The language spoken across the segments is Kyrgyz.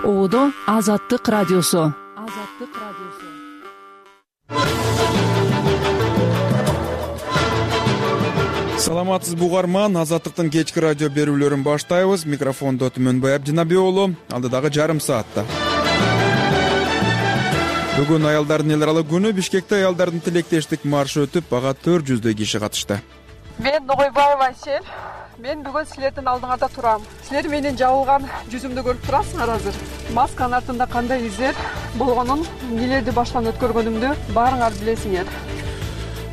Оодо Азаттык радиосу. Саламатсызбы угарман, Азаттыктын кечки радио берүүлөрүн баштайбыз. Микрофондо Түмөнбай Абдинабий уулу, алдыдагы жарым саатта. Бүгүн аялдардын эл аралык күнү. Бишкекте аялдардын тилектештик маршы өтүп, ага 400 киши катышты. Мен Ногойбаева Айсел. Мен бүгүн силердин алдыңарда турам. Силер менин жабылган жүзүмдү көрүп турасыңар азыр. Масканын артында кандай издер болгонун, нелерди баштан өткөргөнүмдү баарыңар билесиңер.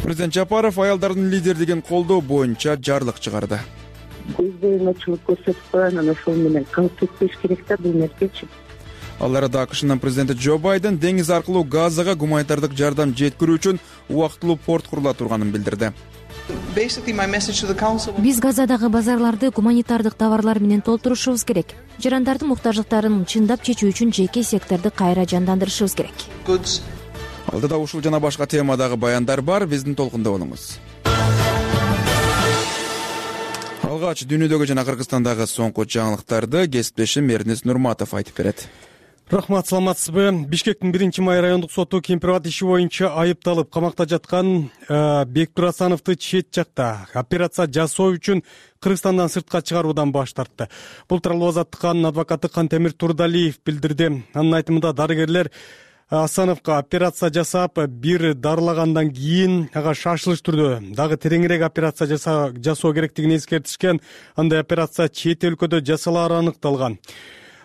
Президент Жапаров аялдардын лидерлигин колдоо боюнча жарлык чыгарды. Көзбоюнчулук көрсөтүп койгон ошол менен калып кетпеш керек да бул нерсечи. Ал арада АКШнын президенти Джо Байден деңиз аркылуу Газага гуманитардык жардам жеткирүү үчүн убактылуу порт курула турганын билдирди. Биз Газадагы базарларды гуманитардык товарлар менен толтурушубуз керек. Жарандардын муктаждыктарын чындап чечүү үчүн жеке секторду кайра жандандырышыбыз керек. Алдыда ушул жана башка темадагы баяндар бар, биздин толкунда болуңуз. Алгач дүйнөдөгү жана Кыргызстандагы соңку жаңылыктарды кесиптешим Эрнис Нурматов айтып берет. Рахмат, саламатсызбы? Бишкектин 1-май райондук соту Кемпирбат иши боюнча айыпталып камакта жаткан Бектур Асановду чет жакта операция жасоо үчүн Кыргызстандан сыртка чыгаруудан баш тартты. Бул тууралуу Азаттыктын адвокаты Кантемир Турдалиев билдирди. Анын айтымында дарыгерлер Асановго операция жасап, бир дарылагандан кийин ага шашылыш түрдө дагы тереңирээк операция жасоо керектигин эскертишкен. Андай операция чет өлкөдө жасалаары аныкталган.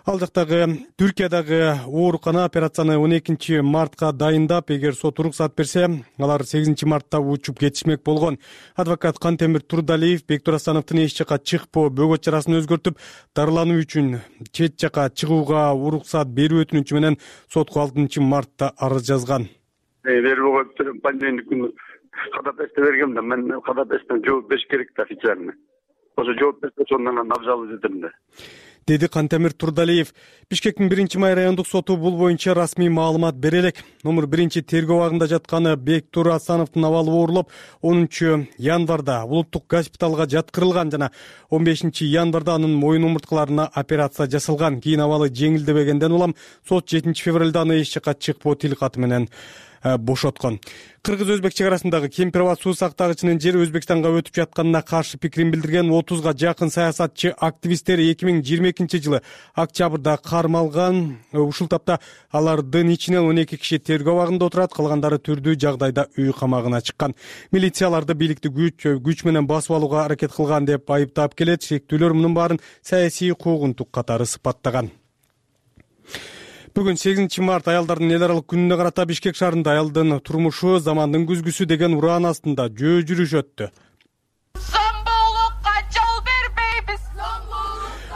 Ал жактагы Түркиядагы оорукана операцияны 12 мартка дайындап, эгер сот уруксат берсе, алар 8 мартта учуп кетишмек болгон. Адвокат Кантемир Турдалиев Бектур Асановдун эч жака чыкпоо бөгөт чарасын өзгөртүп, дарылануу үчүн чет жака чыгууга уруксат берүү өтүнүчү менен сотко 6 мартта арыз жазган. Бөгөт пандемия күнү кадап эсте бергем да, мен кадап эстен жооп бериш керек да официально. Ошо жооп берсе сондан абзал этем да, деди Кантемир Турдалиев. Бишкектин 1-май райондук соту бул боюнча расмий маалымат бере элек. Номер 1 тергөө абагында жатканы Бектур Асановдун абалы оорулуп, 10 январда улуттук госпиталга жаткырылган жана 15 январда анын моюн омурткаларына операция жасалган. Кийин абалы жеңилдебегенден улам сот 7 февралда аны эч жака чыкпоо тил каты менен бошоткон. Кыргыз-өзбек чек арасындагы Кемпирбат суу сактагычынын жери Өзбекстанга өтүп жатканына каршы пикирин билдирген 30га жакын саясатчы активисттер 2022 жылы октябрда кармалган. Ушул тапта алардын ичинен 12 киши тергөө абагында отурат, калгандары түрдүү жагдайда үй камагына чыккан. Милицияларды бийликти күч менен басып алууга аракет кылган деп айыптап келет. Шектүүлөр мунун баарын саясий куугунтук катары сыпаттаган. Бүгүн 8 март аялдардын эл аралык күнүнө карата Бишкек шаарында аялдын турмушу замандын күзгүсү деген ураан астында жөө жүрүш өттү.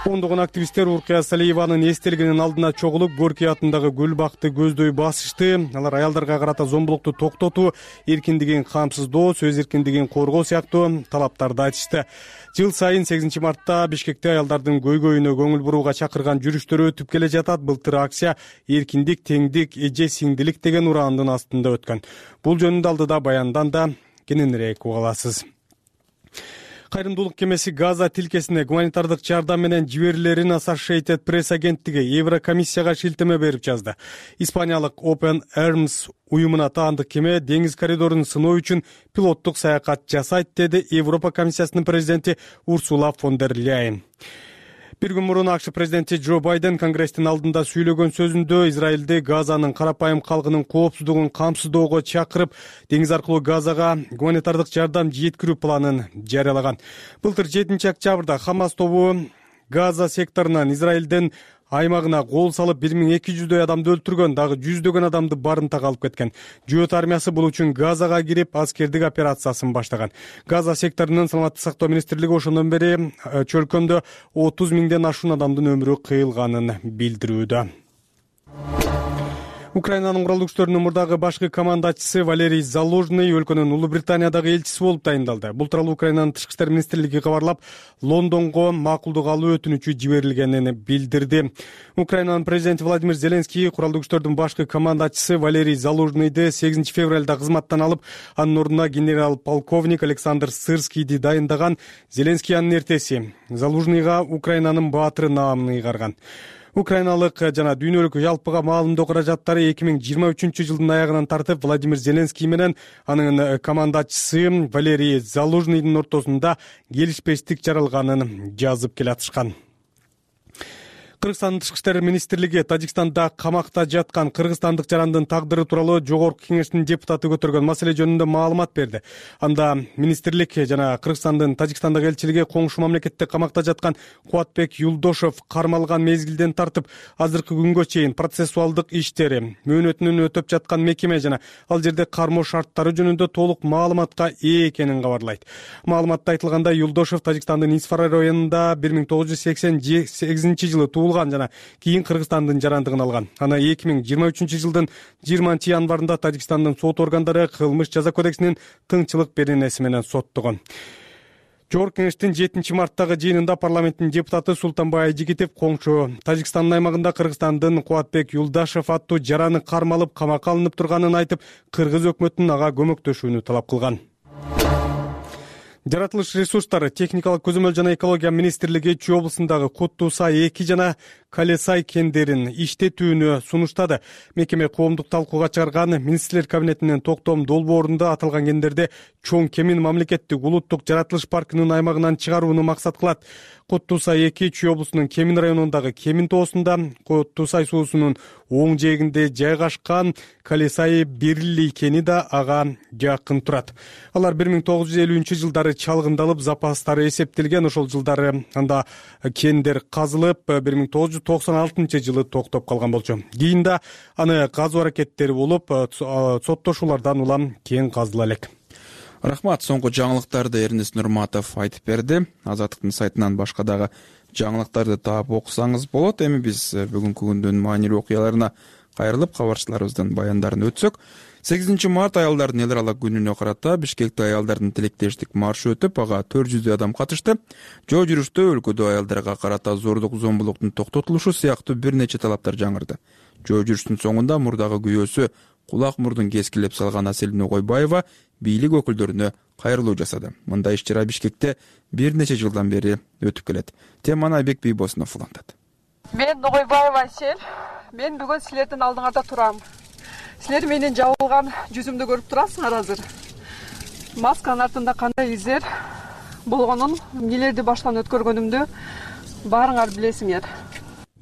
Ондогон активисттер Уркия Салиеванын эстелигинин алдына чогулуп, Горький атындагы гүл бакты көздөй басышты. Алар аялдарга карата зомбулукту токтотуу, эркиндигин камсыздоо, сөз эркиндигин коргоо сыяктуу талаптарды айтышты. Жыл сайын 8 мартта Бишкекте аялдардын көйгөйүнө көңүл бурууга чакырган жүрүштөр өтүп келе жатат. Былтыр акция эркиндик, теңдик, эже сиңдилик деген ураандын астында өткөн. Бул жөнүндө алдыда баяндан да кененирээк уга аласыз. Кайрымдуулук кемеси Газа тилкесине гуманитардык жардам менен жиберилерин Associated Press агенттиги Еврокомиссияга шилтеме берип жазды. Испаниялык Open Arms уюмуна таандык кеме деңиз коридорун сыноо үчүн пилоттук саякат жасайт, деди Европа комиссиясынын президенти Урсула фон дер Ляйен. Bir gün мурун АКШ президенти Джо Байден Конгресстин алдында сүйлөгөн сөзүндө Израилди Газанын карапайым калкынын коопсуздугун камсыздоого чакырып, деңиз аркылуу Газага гуманитардык жардам жеткирүү планын жарыялаган. Былтыр 7 октябрда Хамас тобу Газа секторунан Израилдин аймагына кол салып 1200 адамды өлтүргөн, дагы 100 адамды барымтага алып кеткен. Жөөт армиясы бул үчүн Газага кирип аскердик операциясын баштаган. Газа секторунун саламаттык сактоо министрлиги ошондон бери чөлкөмдө 30 000ден ашуун адамдын өмүрү кыйылганын билдирүүдө. Украинанын куралдуу күчтөрүнүн мурдагы башкы командачысы Валерий Залужный өлкөнүн Улуу Британиядагы элчиси болуп тайындалды. Бул тууралуу Украинанын тышкы иштер министрлиги кабарлап, Лондонго макулдук алуу өтүнүчү жиберилгенин билдирди. Украинанын президенти Владимир Зеленский куралдуу күчтөрдүн башкы командачысы Валерий Залужныйды 8 февралда кызматтан алып, анын ордуна генерал-полковник Александр Сырскийди дайындаган. Зеленский анын эртеси Залужныйга Украинанын баатыры наамын ыйгарган. Украиналык жана дүйнөлүк жалпыга маалымдоо каражаттары 2023 аягынан тартып Владимир Зеленский менен анын командачысы Валерий Залужныйдын ортосунда келишпештик жаралганын жазып келатышкан. Кыргызстандын Тышкы иштер министрлиги Тажикстанда камакта жаткан кыргызстандык жарандын тагдыры тууралуу Жогорку Кеңештин депутаты көтөргөн маселе жөнүндө маалымат берди. Анда министрлик жана Кыргызстандын Тажикстандагы элчилиги коңшу мамлекетте камакта жаткан Кубатбек Юлдошов кармалган мезгилден тартып азыркы күнгө чейин процессуалдык иштери, мөөнөтүнүн өтөп жаткан мекеме жана ал жерде кармоо шарттары жөнүндө толук маалыматка ээ экенин кабарлайт. Маалыматта айтылгандай, Юлдошов Тажикстандын Исфара районунда 1988 жылы туулган жана кийин Кыргызстандын жарандыгын алган. Аны 2023 жылдын 20 январында Тажикстандын сот органдары кылмыш жаза кодексинин тыңчылык беренеси менен соттогон. Жогорку Кеңештин 7 марттагы жыйынында парламенттин депутаты Султанбай Айжигитов коңшу Тажикстандын аймагында Кыргызстандын Кубатбек Юлдашев аттуу жараны кармалып камакка алынып турганын айтып, кыргыз өкмөтүнүн ага көмөктөшүүнү талап кылган. Жаратылыш ресурстары, техникалык көзөмөл жана экология министрлиги Чүй облусундагы Куттуу-Сай 2 жана Кале-Сай кендерин иштетүүнү сунуштады. Мекеме коомдук талкууга чыгарган министрлер кабинетинин токтом долбоорунда аталган кендерди чоң кемин мамлекеттик улуттук жаратылыш паркынын аймагынан чыгарууну максат кылат. Куттуу-Сай 2 Чүй облусунун Кемин районундагы Кемин тоосунда, Куттуу-Сай суусунун оң жээгинде жайгашкан Кале-Сай Берилли кени да ага жакын турат. Алар 1950 жылдары чалгындалып, запастары эсептелген. Ошол жылдары анда кендер казылып, 1996 жылы токтоп калган болчу. Кийин да аны казуу аракеттери болуп, соттошуулардан улам кен казыла элек. Рахмат, соңку жаңылыктарды Эрнест Нурматов айтып берди. Азаттыктын сайтынан башка дагы жаңылыктарды таап окусаңыз болот. Эми биз бүгүнкү күндүн маанилүү окуяларына кайрылып, кабарчыларыбыздын баяндарын өтсөк, 8 март аялдардын эл аралык күнүнө карата Бишкекте аялдардын тилектештик маршы өтүп, ага 400 адам катышты. Жол жүрүштө өлкөдө аялдарга карата зордук, зомбулуктун токтотулушу сыяктуу бир нече талаптар жаңырды. Жол жүрүштүн соңунда мурдагы күйөөсү кулак мурдун кескилеп салган Асель Ногойбаева бийлик өкүлдөрүнө кайрылуу жасады. Мындай иш-чара Бишкекте бир нече жылдан бери өтүп келет. Теманы Айбек Бийбосунов улантат. Мен Ногойбаева Асель. Мен бүгүн силердин алдыңарда турам. Силер менин жабылган жүзүмдү көрүп турасыңар азыр. Масканын артында кандай издер болгонун, эмнелерди баштан өткөргөнүмдү баарыңар билесиңер.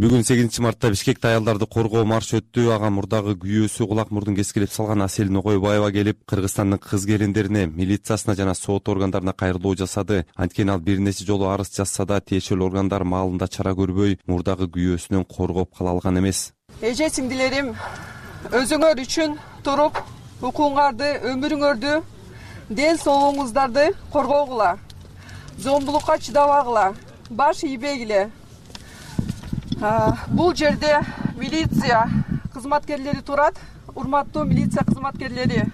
Бүгүн 8 мартта Бишкекте аялдарды коргоо маршы өттү. Ага мурдагы күйөөсү кулак мурдун кескилеп салган Асель Ногойбаева келип, Кыргызстандын кыз келиндерине, милициясына жана сот органдарына кайрылуу жасады. Анткени ал бир нече жолу арыз жазса да, тиешелүү органдар маалында чара көрбөй, мурдагы күйөөсүнөн коргоп кала алган эмес. Эже сиңдилерим, өзүңөр үчүн туруп, укугуңарды, өмүрүңөрдү, ден соолугуңуздарды коргогула. Зомбулукка чыдабагыла, баш ийбегиле. Бул жерде милиция кызматкерлери турат. Урматтуу милиция кызматкерлери.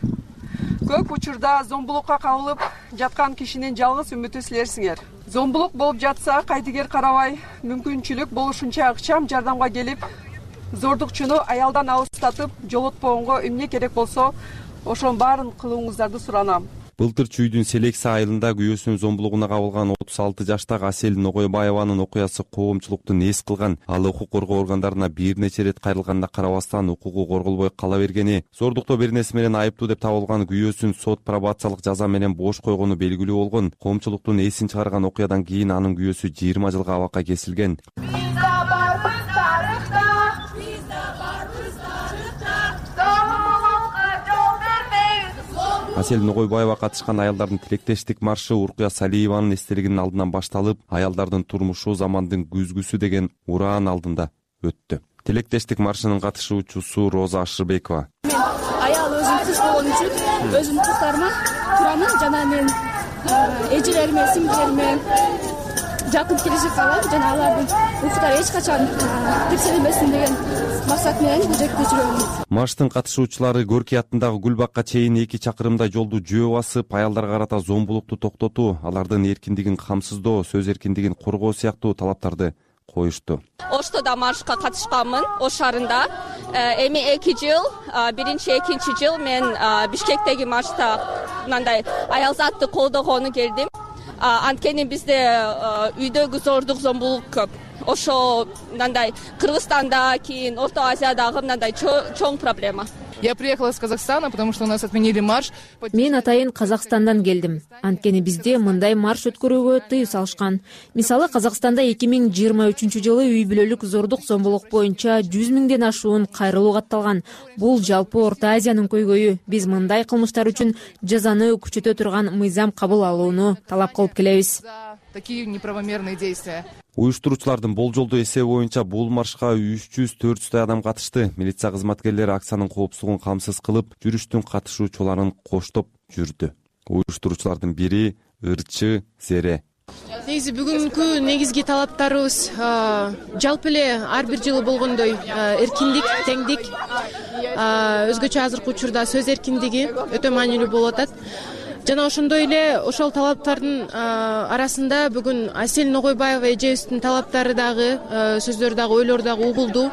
Көп учурда зомбулукка кабылып жаткан кишинин жалгыз үмүтү силерсиңер. Зомбулук болуп жатса, кайтыгер карабай, мүмкүнчүлүк болушунча ыкчам жардамга келип, зордукчуну аялдан алыстатып, жолотпогонго эмне керек болсо, ошонун баарын кылууңуздарды суранам. Былтыр Чүйдүн Селекси айылында күйөөсүнүн зомбулугуна кабылган 36 жаштагы Асель Ногойбаеванын окуясы коомчулукту нээс кылган. Ал укук коргоо органдарына бир нече ирет кайрылганына карабастан укугу корголбой кала бергени, зордуктоо беренеси менен айыптуу деп табылган күйөөсүн сот пробациялык жаза менен бош койгону белгилүү болгон. Коомчулуктун эсин чыгарган окуядан кийин анын күйөөсү 20 жылга абакка кесилген. Асель Ногойбаева катышкан аялдардын тилектештик маршы Уркуя Салиеванын эстелигинин алдынан башталып, аялдардын турмушу замандын күзгүсү деген ураан алдында өттү. Тилектештик маршынын катышуучусу Роза Ашырбекова. Мен аял өзүм кыз болгон үчүн өзүмдүн кыздарыма турамын жана мен эжелериме, сиңдилериме жакын келишип калам жана алардын укуктары эч качан текшерилбесин деген максат менен бул жерде жүрөм. Марштын катышуучулары Горький атындагы гүл бакка чейин 2 чакырымдай жолду жөө басып, аялдарга карата зомбулукту токтотуу, алардын эркиндигин камсыздоо, сөз эркиндигин коргоо сыяктуу талаптарды коюшту. Оштодо маршка катышканмын, Ош шаарында. Эми 2 жыл, биринчи, экинчи жыл мен Бишкектеги маршта мындай аялзатты колдогону келдим. Анткени бизде үйдөгү зордук, зомбулук көп. ошо мындай Кыргызстанда, кийин Орто Азиядагы мындай чоң проблема. Я приехала из Казахстана, потому что у нас отменили марш. Мен атайын Казакстандан келдим. Анткени бизде мындай марш өткөрүүгө тыюу салышкан. Мисалы, Казакстанда 2023-жылы үй бүлөлүк зордук зомбулук боюнча 100 миңден ашуун кайрылуу катталган. Бул жалпы Орто Азиянын көйгөйү. Биз мындай кылмыштар үчүн жазаны күчөтө турган мыйзам кабыл алууну талап кылып келебиз. Такие неправомерные действия. Уюштуруучулардын болжолдуу эсеби боюнча бул маршка 300-400 адам катышты. Милиция кызматкерлери акциянын коопсуздугун камсыз кылып, жүрүштүн катышуучуларын коштоп жүрдү. Уюштуруучулардын бири Ырчы Зере. Негизи бүгүнкү негизги талаптарыбыз жалпы эле ар бир жылы болгондой эркиндик, теңдик, өзгөчө азыркы учурда сөз эркиндиги өтө маанилүү болуп атат. Жана ошондой эле ошол талаптардын арасында бүгүн Асель Ногойбаева эжебиздин талаптары дагы, сөздөрү дагы, ойлору дагы угулду.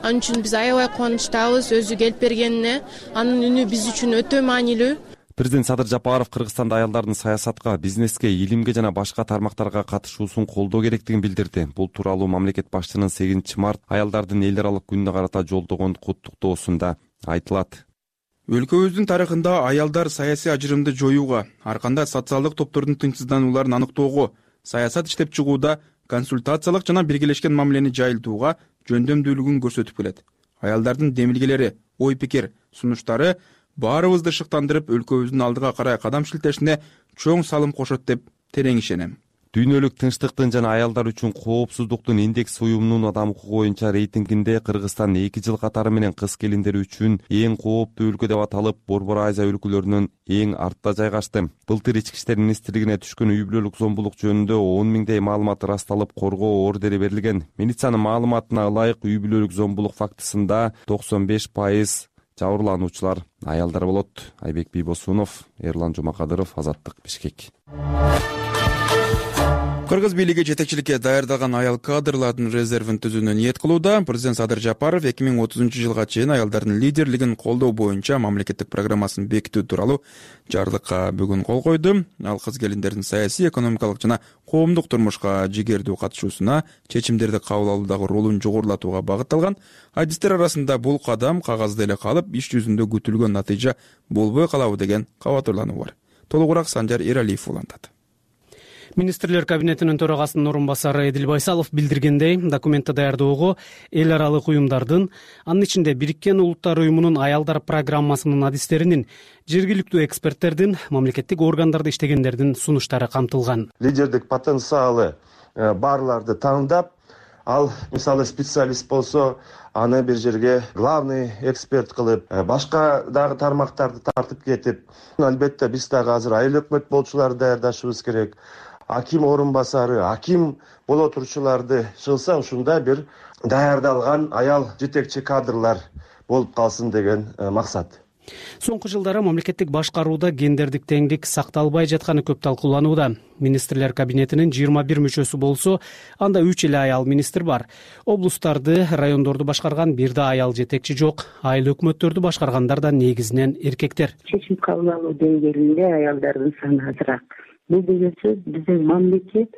Анын үчүн биз аябай кубанычтабыз өзү келип бергенине. Анын үнү биз үчүн өтө маанилүү. Президент Садыр Жапаров Кыргызстанда аялдардын саясатка, бизнеске, илимге жана башка тармактарга катышуусун колдоо керектигин билдирди. Бул тууралуу мамлекет башчынын 8 март аялдардын эл аралык күнүнө карата жолдогон куттуктоосунда айтылат. Өлкөбүздүн тарыхында аялдар саясий ажырымды жоюуга, ар кандай социалдык топтордун тынчсызданууларын аныктоого, саясат иштеп чыгууда, консультациялык жана биргелешкен мамилени жайылтууга жөндөмдүүлүгүн көрсөтүп келет. Аялдардын демилгелери, ой пикир, сунуштары баарыбызды шыктандырып, өлкөбүздүн алдыга карай кадам шилтешине чоң салым кошот деп терең ишенем. Дүйнөлүк тынчтыктын жана аялдар үчүн коопсуздуктун индекс уюмунун адам укугу боюнча рейтингинде Кыргызстан 2 жыл катары менен кыз келиндер үчүн эң кооптуу өлкө деп аталып, Борбор Азия өлкөлөрүнүн эң артта жайгашты. Былтыр Ички иштер министрлигине түшкөн үй бүлөлүк зомбулук жөнүндө 10 миңдей маалымат ырасталып, коргоо ордери берилген. Милициянын маалыматына ылайык үй бүлөлүк зомбулук фактысында 95% жабырлануучулар аялдар болот. Айбек Бийбосунов, Эрлан Жумакадыров, Азаттык, Бишкек. Кыргыз бийлиги жетекчиликке даярдалган аял кадрлардын резервин түзүүнү ниет кылууда. Президент Садыр Жапаров 2030-жылга чейин аялдардын лидерлигин колдоо боюнча мамлекеттик программасын бекитүү тууралуу жарлыкка бүгүн кол койду. Ал кыз келиндердин саясий, экономикалык жана коомдук турмушка жигердүү катышуусуна, чечимдерди кабыл алуудагы ролун жогорулатууга багытталган. Адистер арасында бул кадам кагазда эле калып, иш жүзүндө күтүлгөн натыйжа болбой калабы деген кабатырлануу бар. Толугураак Санжар Эралиев улантат. Министрлер кабинетинин төрагасынын орун басары Эдил Байсалов билдиргендей, документти даярдоого эл аралык уюмдардын, анын ичинде Бириккен Улуттар уюмунун аялдар программасынын адистеринин, жергиликтүү эксперттердин, мамлекеттик органдарда иштегендердин сунуштары камтылган. Лидердик потенциалы барларды тандап, ал мисалы специалист болсо, аны бир жерге главный эксперт кылып, башка дагы тармактарды тартып кетип, албетте биз дагы азыр айыл өкмөт болчуларды даярдашыбыз керек. Аким орун басары, аким боло турчуларды чыгса, ушундай бир даярдалган аял жетекчи кадрлар болуп калсын деген максат. Соңку жылдары мамлекеттик башкарууда гендердик теңдик сакталбай жатканы көп талкууланууда. Министрлер кабинетинин 21 мүчөсү болсо, анда 3 эле аял министр бар. Облустарды, райондорду башкарган бир да аял жетекчи жок. Айыл өкмөттөрдү башкаргандар да негизинен эркектер. Чечим кабыл алуу деңгээлинде аялдардын саны азыраак. Бул деген сөз биздин мамлекет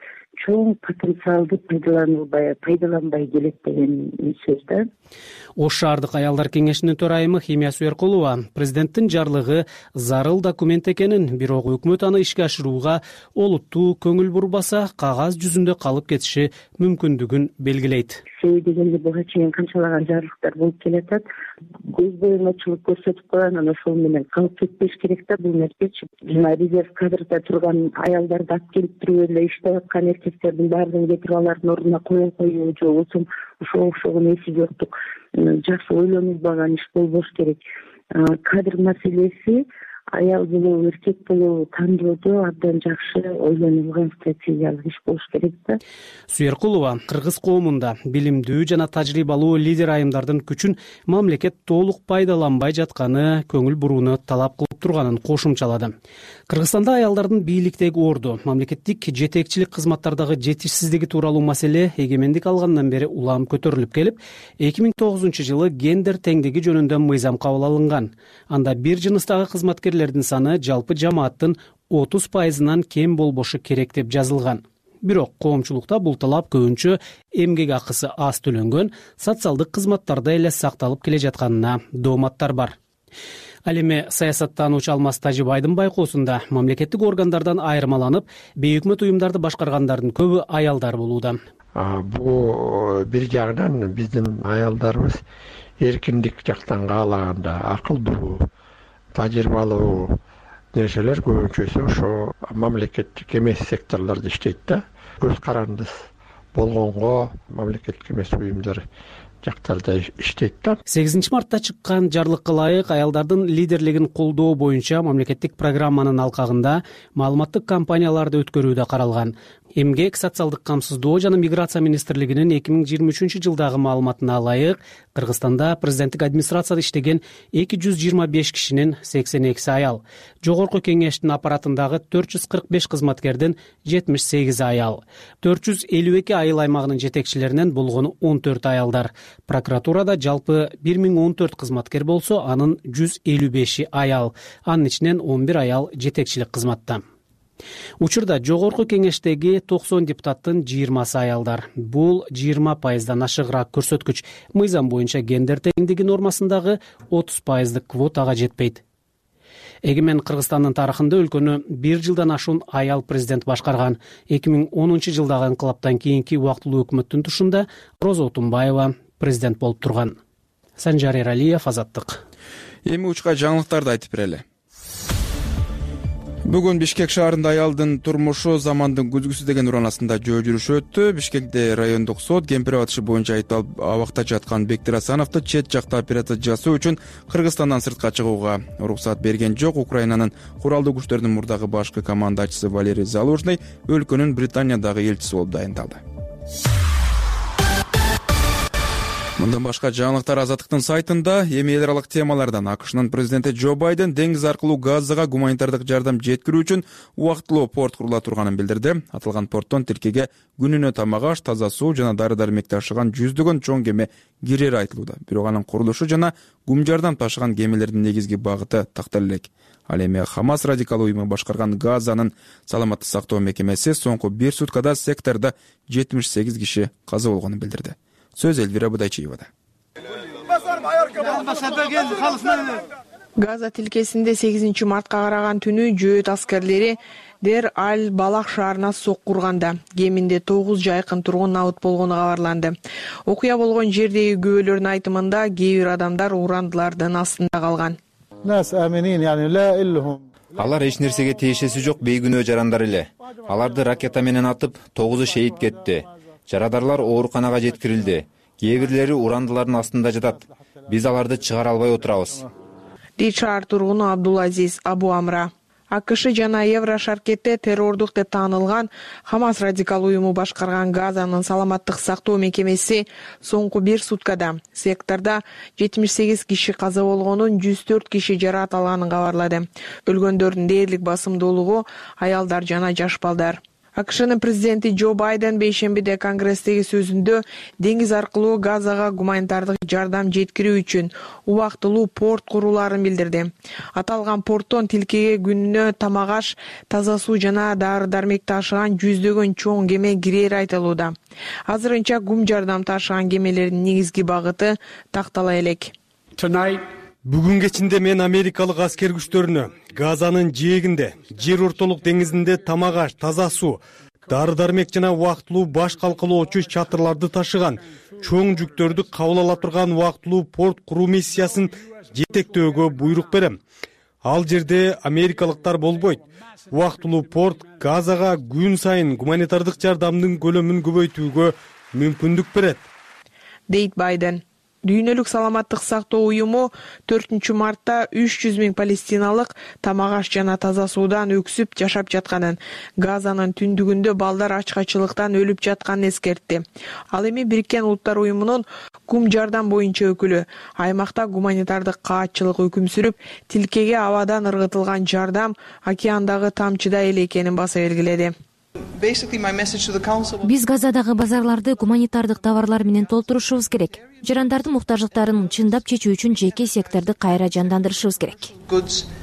чоң потенциалды пайдаланбай келет деген сөз да. Ош шаардык аялдар кеңешинин төрайымы Химия Суяркулова президенттин жарлыгы зарыл документ экенин, бирок өкмөт аны ишке ашырууга олуттуу көңүл бурбаса, кагаз жүзүндө калып кетиши мүмкүндүгүн белгилейт. Себеби дегенде буга чейин канчалаган жарлыктар болуп келатат. Көз боюмачылык көрсөтүп койгон, анан ошол менен калып кетпеш керек да бул нерсечи. Жана резерв кадрда турган аялдарды алып келип туруп эле иштеп аткан эркектердин баардыгын кетирип алардын ордуна кое коюу же болбосо ошого окшогон эси жоктук жакшы ойлонулбаган иш болбош керек. Кадр маселеси аял болобу, эркек болобу тандоодо абдан жакшы ойлонулган стратегиялык иш болуш керек да. Суяркулова кыргыз коомунда билимдүү жана тажрыйбалуу лидер айымдардын күчүн мамлекет толук пайдаланбай жатканы көңүл бурууну талап кылып турганын кошумчалады. Кыргызстанда аялдардын бийликтеги орду, мамлекеттик жетекчилик кызматтардагы жетишсиздиги тууралуу маселе эгемендик алгандан бери улам көтөрүлүп келип, 2009-жылы гендер теңдиги жөнүндө мыйзам кабыл алынган. Анда бир жыныстагы кызматкерлердин саны жалпы жамааттын 30%-нан кем болбошу керек деп жазылган. Бирок коомчулукта бул талап көбүнчө эмгек акысы аз төлөнгөн, социалдык кызматтарда эле сакталып келе жатканына дооматтар бар. Ал эми саясаттануучу Алмаз Тажибайдын байкоосунда мамлекеттик органдардан айырмаланып, бейөкмөт уюмдарды башкаргандардын көбү аялдар болууда. Бул бир жагынан биздин аялдарыбыз эркиндик жактан каалаганда акылдуу, тажрыйбалуу нерселер көбүнчөсү ошо мамлекеттик эмес секторлордо иштейт да. Көз карандысыз болгонго мамлекеттик эмес уюмдар жактарда иштейт да. 8 мартта чыккан жарлыкка ылайык аялдардын лидерлигин колдоо боюнча мамлекеттик программанын алкагында маалыматтык кампанияларды өткөрүү да каралган. Эмгек, социалдык камсыздоо жана миграция министрлигинин 2023 жылдагы маалыматына ылайык Кыргызстанда президенттик администрацияда иштеген 225 кишинин 82 аял, жогорку кеңештин аппаратындагы 445 кызматкердин 78 аял, 452 айыл аймагынын жетекчилеринен болгону 14 аялдар. Прокуратурада жалпы 1014 кызматкер болсо, анын 155 аял, анын ичинен 11 аял жетекчилик кызматта. Учурда жогорку кеңештеги 90 депутаттын 20 аялдар. Бул 20%дан ашыгыраак көрсөткүч. Мыйзам боюнча гендер теңдиги нормасындагы 30%дык квотага жетпейт. Эгемен Кыргызстандын тарыхында өлкөнү 1 жылдан ашуун аял президент башкарган. 2010 жылдагы инкылаптан кийинки убактылуу өкмөттүн тушунда Роза Отунбаева президент болуп турган. Санжар Эралиев, Азаттык. Эми учка жаңылыктарды айтып берели. Бүгүн Бишкек шаарында аялдын турмушу замандын күзгүсү деген ураанасында жөө жүрүш өттү. Бишкекте райондук сот кемпир абатышы боюнча айыпталып абакта жаткан Бектир Асановду чет жакта операция жасоо үчүн Кыргызстандан сыртка чыгууга уруксат берген жок. Украинанын куралдуу күчтөрдүн мурдагы башкы командачысы Валерий Залужный өлкөнүн Британиядагы элчиси болуп дайындалды. Мындан башка жаңылыктар Азаттыктын сайтында. Эми эл аралык темалардан АКШнын президенти Джо Байден деңиз аркылуу Газага гуманитардык жардам жеткирүү үчүн убактылуу порт курула турганын билдирди. Аталган порттон тилкеге күнүнө тамак аш, таза суу жана дары-дармек ташыган жүздөгөн чоң кеме кирери айтылууда. Бирок анын курулушу жана гум жардам ташыган кемелердин негизги багыты тактала элек. Ал эми Хамас радикал уюму башкарган Газанын саламаттык сактоо мекемеси соңку 1 суткада сектордо 78 киши каза болгонун билдирди. Сөз Эльвира Будайчиевада. Газа тилкесинде 8 мартка караган түнү жөөт аскерлери Дер Аль-Балах шаарына соккурганда кеминде 9 жайкын тургун набыт болгону кабарланды. Окуя болгон жердеги күбөлөрдүн айтымында кээ бир адамдар урандылардын астында калган. Алар эч нерсеге тиешеси жок бейгүнөө жарандар эле. Аларды ракета менен атып, 9-у шейит кетти. Жарадарлар ооруканага жеткирилди. Кээ бирлери урандылардын астында жатат. Биз аларды чыгара албай отурабыз. Шаар тургуну Абдулазиз Абу Амра. АКШ жана Еврошаркетте террордук деп таанылган Хамас радикал уюму башкарган Газанын саламаттык сактоо мекемеси соңку 1 суткада сектордо 78 киши каза болгонун, 104 киши жараат алганын кабарлады. Өлгөндөрдүн дээрлик басымдуулугу аялдар жана жаш балдар. АКШнын президенти Джо Байден бейшембиде Конгресстеги сөзүндө деңиз аркылуу Газага гуманитардык жардам жеткирүү үчүн убактылуу порт курулаарын билдирди. Аталган порттон тилкеге күнүнө тамак аш, таза суу жана дары-дармек ташыган жүздөгөн чоң кеме кирери айтылууда. Азырынча гум жардам ташыган кемелердин негизги багыты тактала элек. Бүгүн кечинде мен америкалык аскер күчтөрүнө Газанын жээгинде, жер ортолук деңизинде тамак аш, таза суу, дары-дармек жана убактылуу баш калкалоочу чатырларды ташыган чоң жүктөрдү кабыл ала турган убактылуу порт куруу миссиясын жетектөөгө буйрук берем. Ал жерде америкалыктар болбойт. Убактылуу порт Газага күн сайын гуманитардык жардамдын көлөмүн көбөйтүүгө мүмкүндүк берет, дейт Байден. Дүйнөлүк саламаттык сактоо уюму 4 мартта 300 000 палестиналык тамак аш жана таза суудан өксүп жашап жатканын, Газанын түндүгүндө балдар ачкачылыктан өлүп жатканын эскертти. Ал эми Бириккен Улуттар уюмунун гум жардам боюнча өкүлү аймакта гуманитардык каатчылык өкүм сүрүп, тилкеге абадан ыргытылган жардам океандагы тамчыдай эле экенин баса белгиледи. Биз Газадагы базарларды гуманитардык товарлар менен толтурушубуз керек. Жарандардын муктаждыктарын чындап чечүү үчүн жеке секторду кайра жандандырышыбыз керек,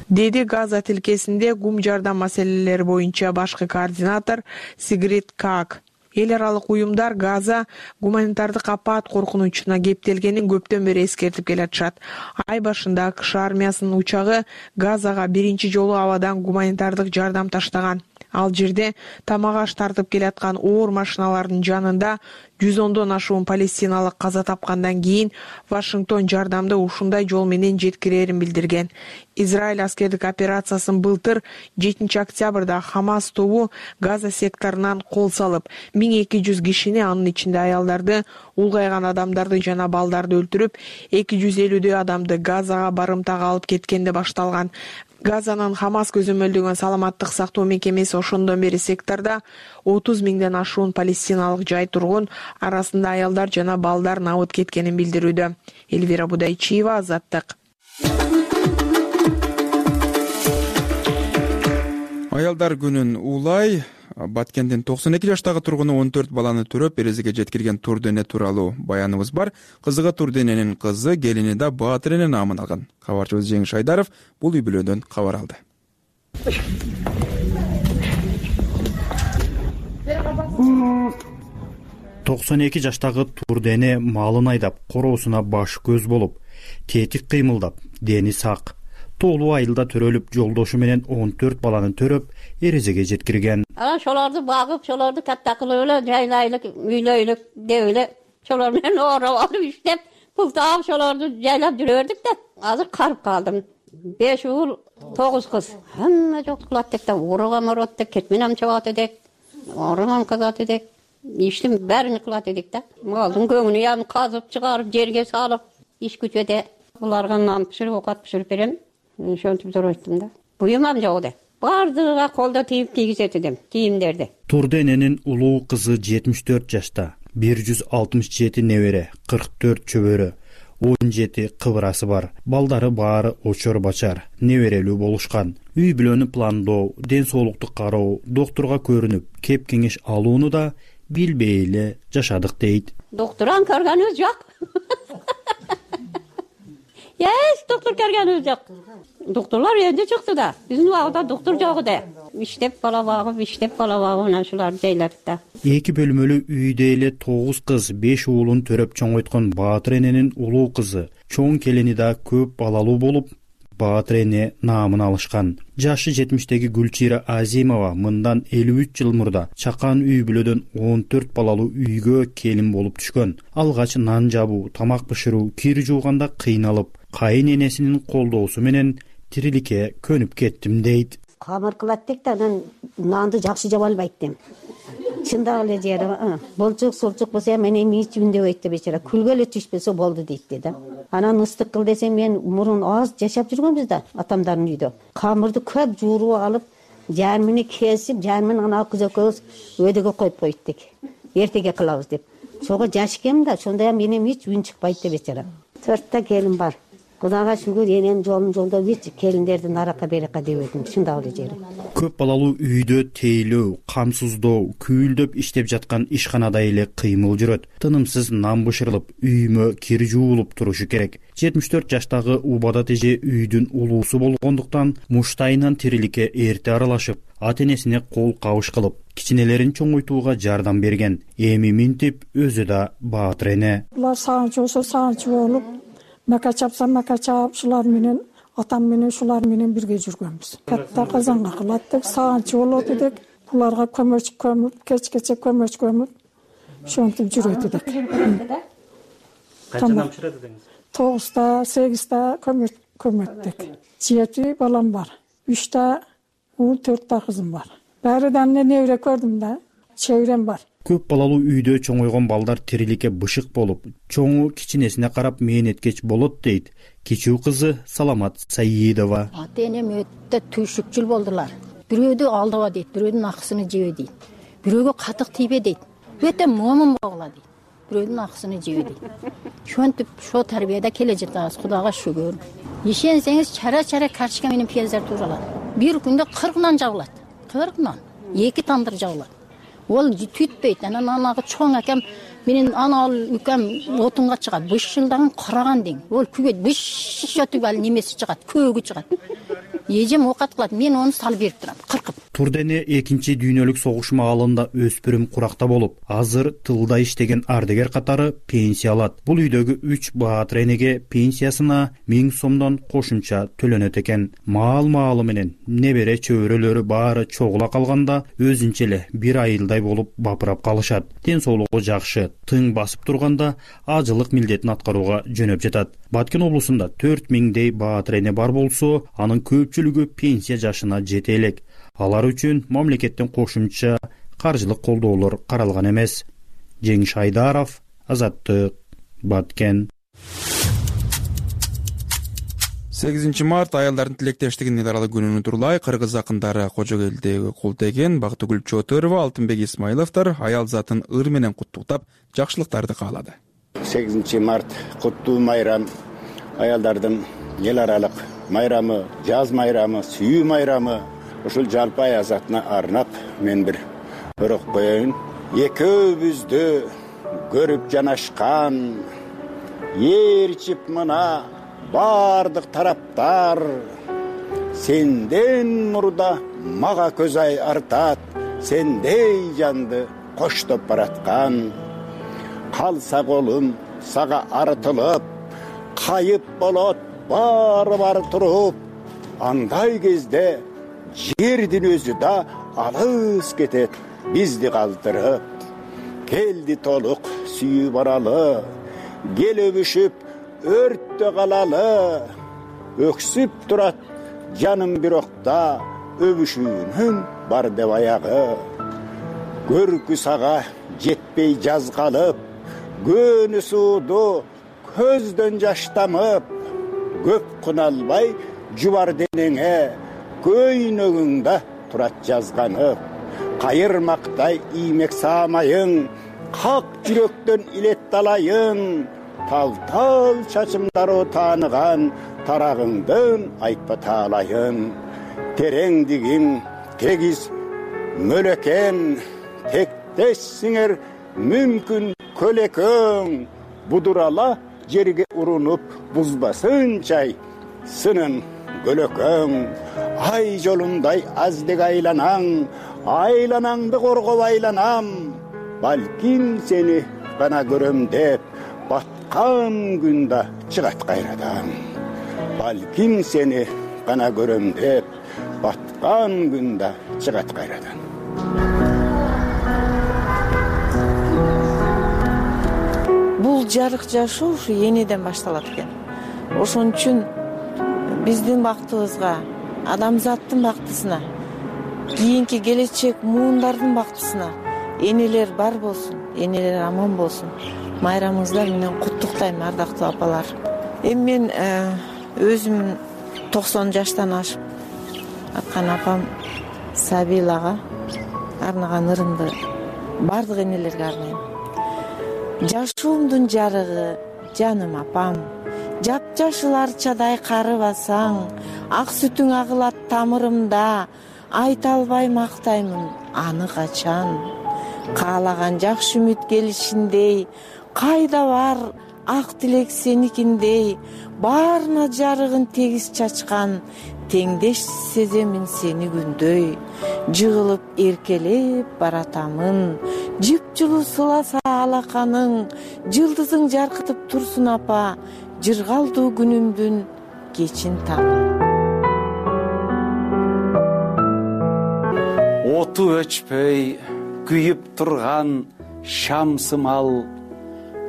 деди Газа тилкесинде гум жардам маселелери боюнча башкы координатор Сигрид Как. Эл аралык уюмдар Газа гуманитардык апат коркунучуна кептелгенин көптөн бери эскертип келатышат. Ай башында АКШ армиясынын учагы Газага биринчи жолу абадан гуманитардык жардам таштаган. Ал жерде тамак аш тартып келаткан оор машиналардын жанында 110дон ашуун палестиналык каза тапкандан кийин Вашингтон жардамды ушундай жол менен жеткирерин билдирген. Израиль аскердик операциясын былтыр 7 октябрда Хамас тобу Газа секторунан кол салып, 1200 кишини, анын ичинде аялдарды, улгайган адамдарды жана балдарды өлтүрүп, 250 адамды Газага барымтага алып кеткенде башталган. Газанын Хамас көзөмөлдөгөн саламаттык сактоо мекемеси ошондон бери сектордо 30 миңден ашуун палестиналык жай тургун, арасында аялдар жана балдар набыт кеткенин билдирүүдө. Элвира Будайчиева, Азаттык. Аялдар күнүн улай Баткендин 92 жаштагы тургуну 14 баланы төрөп эрезеге жеткирген Турдене тууралуу баяныбыз бар. Кызыгы Турдененин кызы, келини да Баатырене наамын алган. Кабарчыбыз Жеңиш Айдаров бул үй бүлөдөн кабар алды. 92 жаштагы Турдене малын айдап, короосуна баш көз болуп, тетик кыймылдап, дени сак, тоолуу айылда төрөлүп, жолдошу менен 14 баланы төрөп эрезеге жеткирген. Шоларды багып, шоларды катта кылып эле жайлайлык, үйлөйлүк деп эле шолар менен оорап алып иштеп, пул таап шоларды жайлап жүрөрдүк да. Азыр карып калдым. 5 уул, 9 кыз. Хамма жок кылат деп да, урагам орот деп, кетменем чабат эдек, орагам казат эдек. Иштин бәрин кылат эдик да. Малдын көңүнү ям казып чыгарып, жерге салып, иш күчөдө. Буларга нан пиширип, окат пиширип берем. Ошентип зоройттум да. Буюмам жок да. Бардыгыга колдо тийип кийгизет эдим, кийимдерди. Турдененин улуу кызы 74 жашта, 167 небере, 44 чөбөрө, 17 кыбырасы бар. Балдары баары очор бачар, неберелүү болушкан. Үй бүлөнү пландоо, ден соолукту кароо, доктурга көрүнүп, кеп кеңеш алууну да билбей эле жашадык дейт. Доктуран көргөнүбүз жок. Доктор көргөнүбүз жок. Доктурлар энди чыкты да. Биздин убагында доктор жок эди. Иштеп бала багып, анан шуларды жайлады да. 2 бөлмөлүү үйдө эле 9 кыз, 5 уулун төрөп чоңойткон Баатырененин улуу кызы, чоң келини да көп балалуу болуп, Баатырене наамын алышкан. Жашы 70-теги Гүлчира Азимова мындан 53 жыл мурда чакан үй бүлөдөн 14 балалуу үйгө келин болуп түшкөн. Алгач нан жабуу, тамак бышыруу, кир жууганда кыйналып, кайын энесинин колдоосу менен тириликке көнүп кеттим дейт. Камыр кылат дек да, анан нанды жакшы жаба албайт дем. Чындап эле жери, болчук болсо мен эми ичимдебейт деп бечара, күлгө эле түшпөсө болду дейт да. Анан ыстык кыл десем, мен мурун аз жашап жүргөнбүз да, атамдардын үйдө. Камырды көп жууруп алып, жармини кесип, жармин ана кыз экөөбүз өйдөгө коюп коеттик. Эртеге кылабыз деп. Чого жаш экен да, ошондо менен эч үн чыкпайт деп бечара. 4 келин бар. Кудайга шүгүр, энем жолун жолдоп эч келиндерди наракка беракка дебедим, чындап эле жери. Көп балалуу үйдө тейлөө, камсыздоо, күүлдөп иштеп жаткан ишканада эле кыймыл жүрөт. Тынымсыз нан бышырылып, үймө кир жуулуп турушу керек. 74 жаштагы Убада теже үйдүн улуусу болгондуктан муштайынан тириликке эрте аралашып, ата-энесине кол кабыш кылып, кичинелерин чоңойтууга жардам берген. Эми минтип өзү да Баатырене. Булар сагынчы болсо сагынчы болуп, мака чапса мака чап, шулар менен атам менен шулар менен бирге жүргөнбүз. Катта казанга кылаттык, сагынчы болот эдик. Буларга көмөч көмүп, кечкече көмөч көмүп, ошентип жүрөт эдик. Канчадан бышырат эдиңиз? 9та, 8та көмөттүк. 7 балам бар. 3та уул, 4та кызым бар. Баарыдан небере көрдүм да, чегирем бар. Көп балалуу үйдө чоңойгон балдар тириликке бышык болуп, чоңу кичинесине карап мээнеткеч болот дейт кичүү кызы Саламат Саидова. Ата-энем өтө түйшүкчүл болдулар. Бирөөдү алдыба дейт, бирөөдүн акысыны жебе дейт. Бирөөгө катык тийбе дейт. Өтө момун болгула дейт. Бирөөдүн акысыны жебе дейт. Ошентип шо тарбияда келе жатабыз, Кудайга шүгүр. Ишенсеңиз, чара-чара карточка менен пияздар тууралат. Бир күндө 40 нан жабылат. 40 нан. 2 тандыр жабылат. Ол түтпөйт. Анан анагы чоң акам менин ана үкем отунга чыгат. Бышылдаган караган дең. Ол күгөт быш өтүп ал немеси чыгат, көөгү чыгат. Эжем окат кылат, мен оны салып берип турам, кыркып. Турдене 2 дүйнөлүк согуш маалында өспүрүм куракта болуп, азыр тылда иштеген ардагер катары пенсия алат. Бул үйдөгү 3 баатыр энеге пенсиясына 1000 сомдон кошумча төлөнөт экен. Маал-маалы менен небере чөбөрөлөрү баары чогула калганда өзүнчө эле бир айылдай болуп бапырап калышат. Ден соолугу жакшы, тың басып турганда ажылык милдетин аткарууга жөнөп жатат. Баткен облусунда 4000дей баатыр эне бар болсо, анын көпчүлүгү пенсия жашына жете элек. Алар үчүн мамлекеттен кошумча каржылык колдоолор каралган эмес. Жеңиш Айдаров, Азаттык, Баткен. 8 март аялдардын тилектештигинин эл аралык күнүнү турлай кыргыз акындары Кожогелдеги Култеген, Бактыгүл Чотурова, Алтынбек Исмаиловдор аял затын ыр менен куттуктап, жакшылыктарды каалады. 8 март куттуу майрам, аялдардын эл аралык майрамы, жаз майрамы, сүйүү майрамы. Ушул жалпы аял затына арнап мен бир өрөк коеюн. Экөөбүздү көрүп жанашкан, ээрчип мына бардык тараптар, сенден мурда мага көз ай артат, сендей жанды коштоп бараткан. Калса колум сага артылып, кайып болот баары туруп, андай кезде жердин өзү да алыс кетет бизди калтырып. Келди толук сүйүү баралы, кел өбүшүп өрттө калалы. Өксүп турат жаным бирокта, өбүшүүнүн бар деп аягы. Көркү сага жетпей жаз калып, көнү сууду көздөн жаш тамып. Көп куналбай жубар денеңе, көйнөгүңдө турат жазганып. Кайырмактай иймек саамайың, как жүрөктөн илет талайың. Тал-тал чачымдары тааныган, тарагыңдын айтпа таалайын. Тереңдигиң тегиз мөлекен, тектессиңер мүмкүн көлөкөң. Будурала жерге урунуп бузбасынчай сынын көлөкөң. Ай жолундай аздек айланаң, айланаңды коргоп айланам. Балким сени гана көрөм деп, баткан күндө чыгат кайрадан. Балким сени гана көрөм деп, баткан күндө чыгат кайрадан. Бул жарык жашоо ушу энеден башталат экен. Ошон үчүн биздин бактыбызга, адамзаттын бактысына, кийинки келечек муундардын бактысына энелер бар болсун, энелер аман болсун. Майрамыңыздар менен куттуктайм, ардактуу апалар. Эми мен өзүм 90 жаштан ашып аткан апам Сабилага арнаган ырымды бардык энелерге арнайм. Жашоомдун жарыгы, жаным апам, жапжашыл арчадай карыбасаң, ак сүтүң агылат тамырымда, айта албай мактаймын аны качан. Каалаган жакшы үмүт келишиндей, кайда бар ак тилек сеникиндей, баарына жарыгын тегиз чачкан, теңдеш сеземин сени күндөй. Жыгылып эркелеп баратамын, жыпжылуу сыласа алаканың, жылдызың жаркытып турсун апа, жыргалдуу күнүмдүн кечин таңы. Оту өчпөй күйүп турган шамсымал,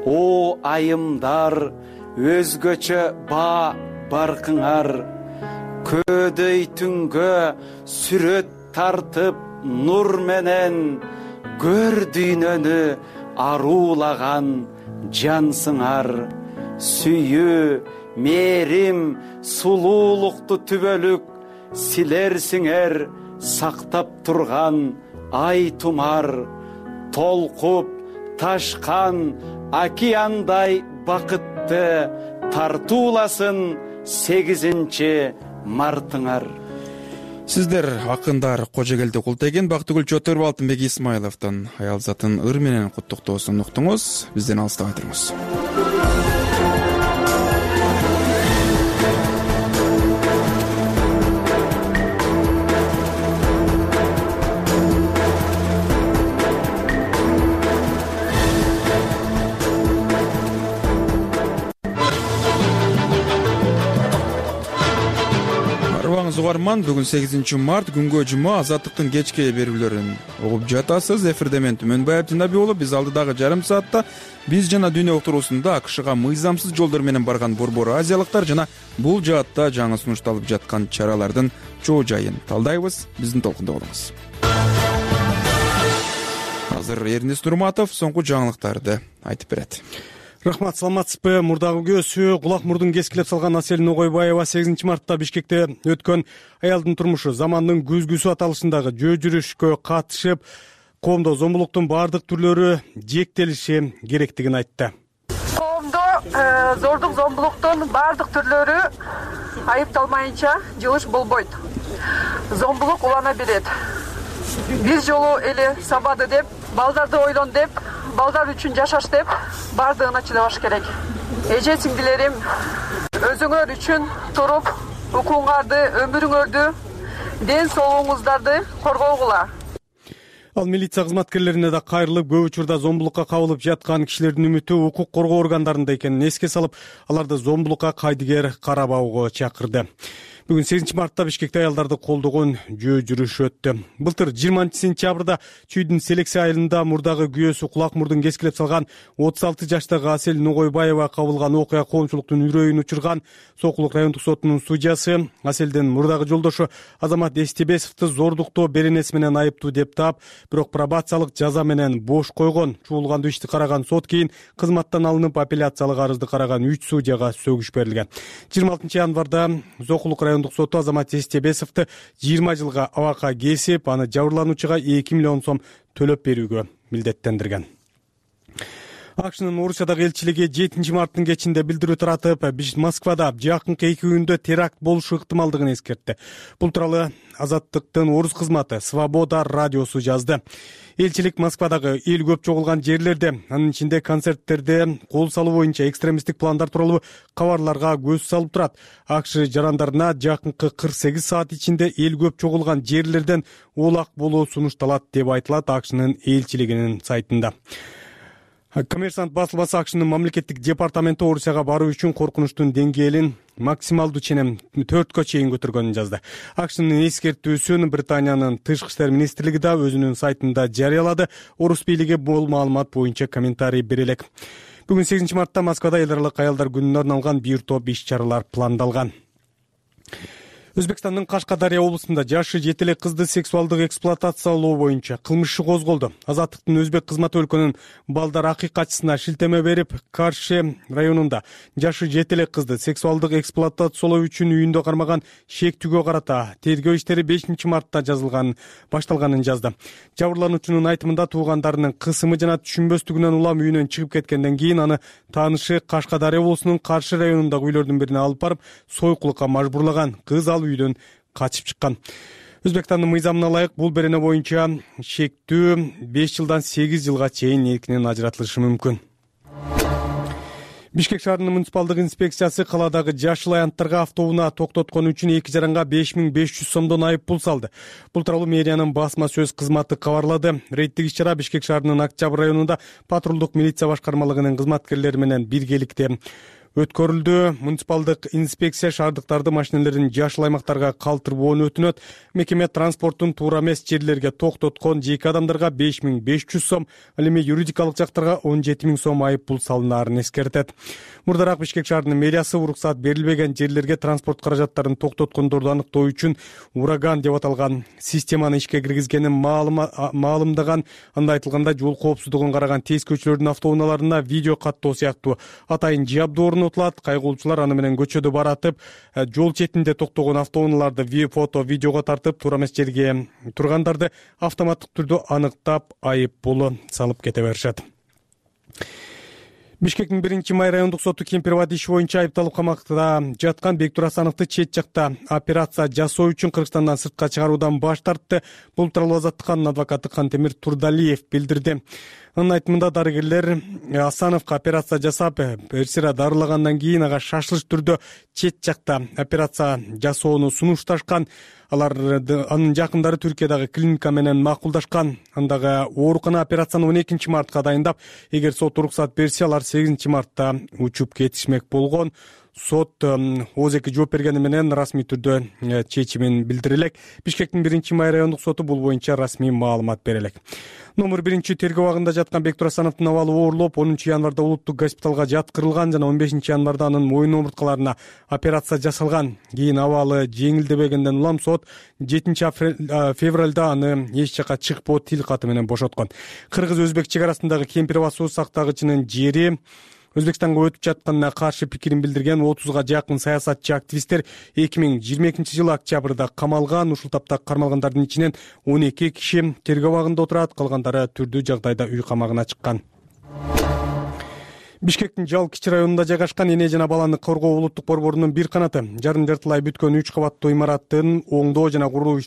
о айымдар өзгөчө баркыңар. Көдөй түнгө сүрөт тартып нур менен, көр дүйнөнү аруулаган жансыңар. Сүйүү, мээрим, сулуулукту түбөлүк силерсиңер, сактап турган ай тумар. Толкуп ташкан океандай бакытты тартууласын 8 мартыңар. Сиздер акындар Кожогелди Култеген, Бактыгүл Чотөрбү, Алтынбек Исмайловдон аял затын ыр менен куттуктоосун уктуңуз. Бизден алыстабай туруңуз. Угарман, бүгүн 8 март, күнгө жума, Азаттыктын кечки берүүлөрүн угуп жатасыз. Эфирде мен Түмөнбай Абдинаби болуп, биз алдыдагы жарым саатта биз жана дүйнө уктуруусунда АКШга мыйзамсыз жолдор менен барган борбор азиялыктар жана бул жаатта жаңы сунушталып жаткан чаралардын чоо жайын талдайбыз. Биздин толкунда болуңуз. Азыр Эрнест Нурматов соңку жаңылыктарды айтып берет. Рахмат, саламатсызбы? Мурдагы көзү кулак мурдун кескилеп салган Асель Ногойбаева 8 мартта Бишкекте өткөн аялдын турмушу замандын күзгүсү аталышындагы жөө жүрүшкө катышып, коомдо зомбулуктун баардык түрлөрү жээктелиши керектигин айтты. Коомдо зордук зомбулуктун баардык түрлөрү айыпталмайынча жылыш болбойт. Зомбулук улана берет. Бир жолу эле сабады деп, балдарды ойлон деп, балдар үчүн жашаш деп баардыгына чыдабаш керек. Эже сиңдилерим, өзүңөр үчүн туруп, укуңарды, өмүрүңөрдү, ден соолугуңуздарды коргогула. Ал милиция кызматкерлерине да кайрылып, көп учурда зомбулукка кабылып жаткан кишилердин үмүтү укук коргоо органдарында экенин эске салып, аларды зомбулукка кайдыгер карабауга чакырды. Бүгүн 8 мартта Бишкекте аялдарды колдогон жөө жүрүш өттү. Былтыр 20 сентябрда Чүйдүн Селекция айылында мурдагы күйөөсү кулак мурдун кескилеп салган 36 жаштагы Асель Ногойбаева кабылган окуя коомчулуктун үрөйүн учурган. Сокулук райондук сотунун судьясы Аселдин мурдагы жолдошу Азамат Эстебесовду зордуктоо беренеси менен айыптуу деп таап, бирок пробациялык жаза менен бош койгон. Чуулгандуу ишти караган сот кийин кызматтан алынып, апелляциялык арызды караган 3 судьяга сөгүш берилген. 26 январда Сокулук райондук соту Азамат Эстебесовду 20 жылга абакка кесип, аны жабырлануучуга 2 миллион сом төлөп берүүгө милдеттендирген. АКШнын Орусиядагы элчилиги 7 марттын кечинде билдирүү таратып, Москвада жакынкы 2 күндө теракт болушу ыктымалдыгын эскертти. Бул тууралуу Азаттыктын орус кызматы Свобода радиосу жазды. Элчилик Москвадагы эл көп чогулган жерлерде, анын ичинде концерттерде кол салуу боюнча экстремисттик пландар тууралуу кабарларга көз салып турат. АКШ жарандарына жакынкы 48 саат ичинде эл көп чогулган жерлерден улак болуу сунушталат деп айтылат АКШнын элчилигинин сайтында. Коммерсант басылмасы АКШнын мамлекеттик департаменти Орусияга баруу үчүн коркунучтун деңгээлин максималдуу ченем 4кө чейин көтөргөнүн жазды. АКШнын эскертүүсүн Британиянын тышкы иштер министрлиги да өзүнүн сайтында жарыялады. Орус бийлиги бул маалымат боюнча комментарий бере элек. Бүгүн 8 мартта Москвада эл аралык аялдар күнүнө арналган бир топ иш-чаралар пландалган. Өзбекстандын Кашкадария облусунда жашы 7 эле кызды сексуалдык эксплуатациялоо боюнча кылмыш иши козголду. Азаттыктын өзбек кызматы өлкөнүн балдар акыйкатчысына шилтеме берип, Карши районунда жашы 7 эле кызды сексуалдык эксплуатациялоо үчүн үйүндө кармаган шектүүгө карата тергөө иштери 5 мартта башталганын жазды. Жабырлануучунун айтымында туугандарынын кысымы жана түшүнбөстүгүнөн улам үйүнөн чыгып кеткенден кийин аны таанышы Кашкадария облусунун Каршы районундагы үйлөрдүн бирине алып барып, сойкулукка мажбурлаган. Кыз ал үйдөн качып чыккан. Өзбекстандын мыйзамына ылайык бул берене боюнча шектүү 5 жылдан 8 жылга чейин эркинен ажыратылышы мүмкүн. Бишкек шаарынын муниципалдык инспекциясы каладагы жашыл аянттарга автоунаа токтоткон үчүн 2 жаранга 5500 сомдон айып пул салды. Бул тууралуу мэриянын басма сөз кызматы кабарлады. Рейдтик иш-чара Бишкек шаарынын Октябрь районунда патрулдук милиция башкармалыгынын кызматкерлери менен биргеликте өткөрүлдү. Муниципалдык инспекция шаардыктарды машиналерин жашыл аймактарга калтырбоону өтүнөт. Мекеме транспорттун туура эмес жерлерге токтоткон жеке адамдарга 5500 сом, ал эми юридикалык жактарга 17000 сом айып пул салынаарын эскертет. Мурдараак Бишкек шаарынын мэриясы уруксаат берилбеген жерлерге транспорт каражаттарын токтоткондорду аныктоо үчүн ураган деп аталган системаны ишке киргизгенин маалымдаган. Анда айтылганда жол коопсуздугун караган тез көчөлөрдүн автоунааларына видео каттоо сыяктуу атайын жабдуу орнотулат. Кайгылуучулар аны менен көчөдө баратып, жол четинде токтогон автоунааларды фото, видеого тартып, туура эмес жерге тургандарды автоматтык түрдө аныктап, айып пулу салып кете беришет. Бишкектин 1-май райондук соту кемпирова иши боюнча айыпталып камакта жаткан Бектур Асановду чет жакта операция жасоо үчүн Кыргызстандан сыртка чыгаруудан баш тартты. Бул тууралуу Азаттыктын адвокаты Кантемир Турдалиев билдирди. Анын айтымында дарыгерлер Асановго операция жасап, бир сыйра дарылагандан кийин ага шашылыш түрдө чет жакта операция жасоону сунушташкан. Анын жакындары Түркиядагы клиника менен макулдашкан. Андагы оорукана операцияны 12 мартка дайындап, эгер сот уруксат берсе, алар 8 мартта учуп кетишмек болгон. Сот ооз-эки жооп бергени менен расмий түрдө чечимин билдире элек. Бишкектин 1-май райондук соту бул боюнча расмий маалымат бере элек. Номер 1 тергөө абагында жаткан Бектур Асановдун абалы оорурлоп, 10 январда улуттук госпиталга жаткырылган жана 15 январда анын мойын омурткаларына операция жасалган. Кийин абалы жеңилдебегенден улам сот 7 февралда аны эч жака чыкпоо тил каты менен бошоткон. Кыргыз-өзбек чек арасындагы Кемпирова суу сактагычынын жери Өзбекстанга өтүп жатканына каршы пикирин билдирген 30га жакын саясатчы активисттер 2022 октябрда камалган. Ушул тапта кармалгандардын ичинен 12 киши тергөө абагында отурат, калгандары түрдүү жагдайда үй камагына чыккан. Бишкектин Жал кичи районунда жайгашкан эне жана баланы коргоо улуттук борборунун бир канаты жарым-жартылай бүткөн 3 кабаттуу имараттын оңдоо жана куруу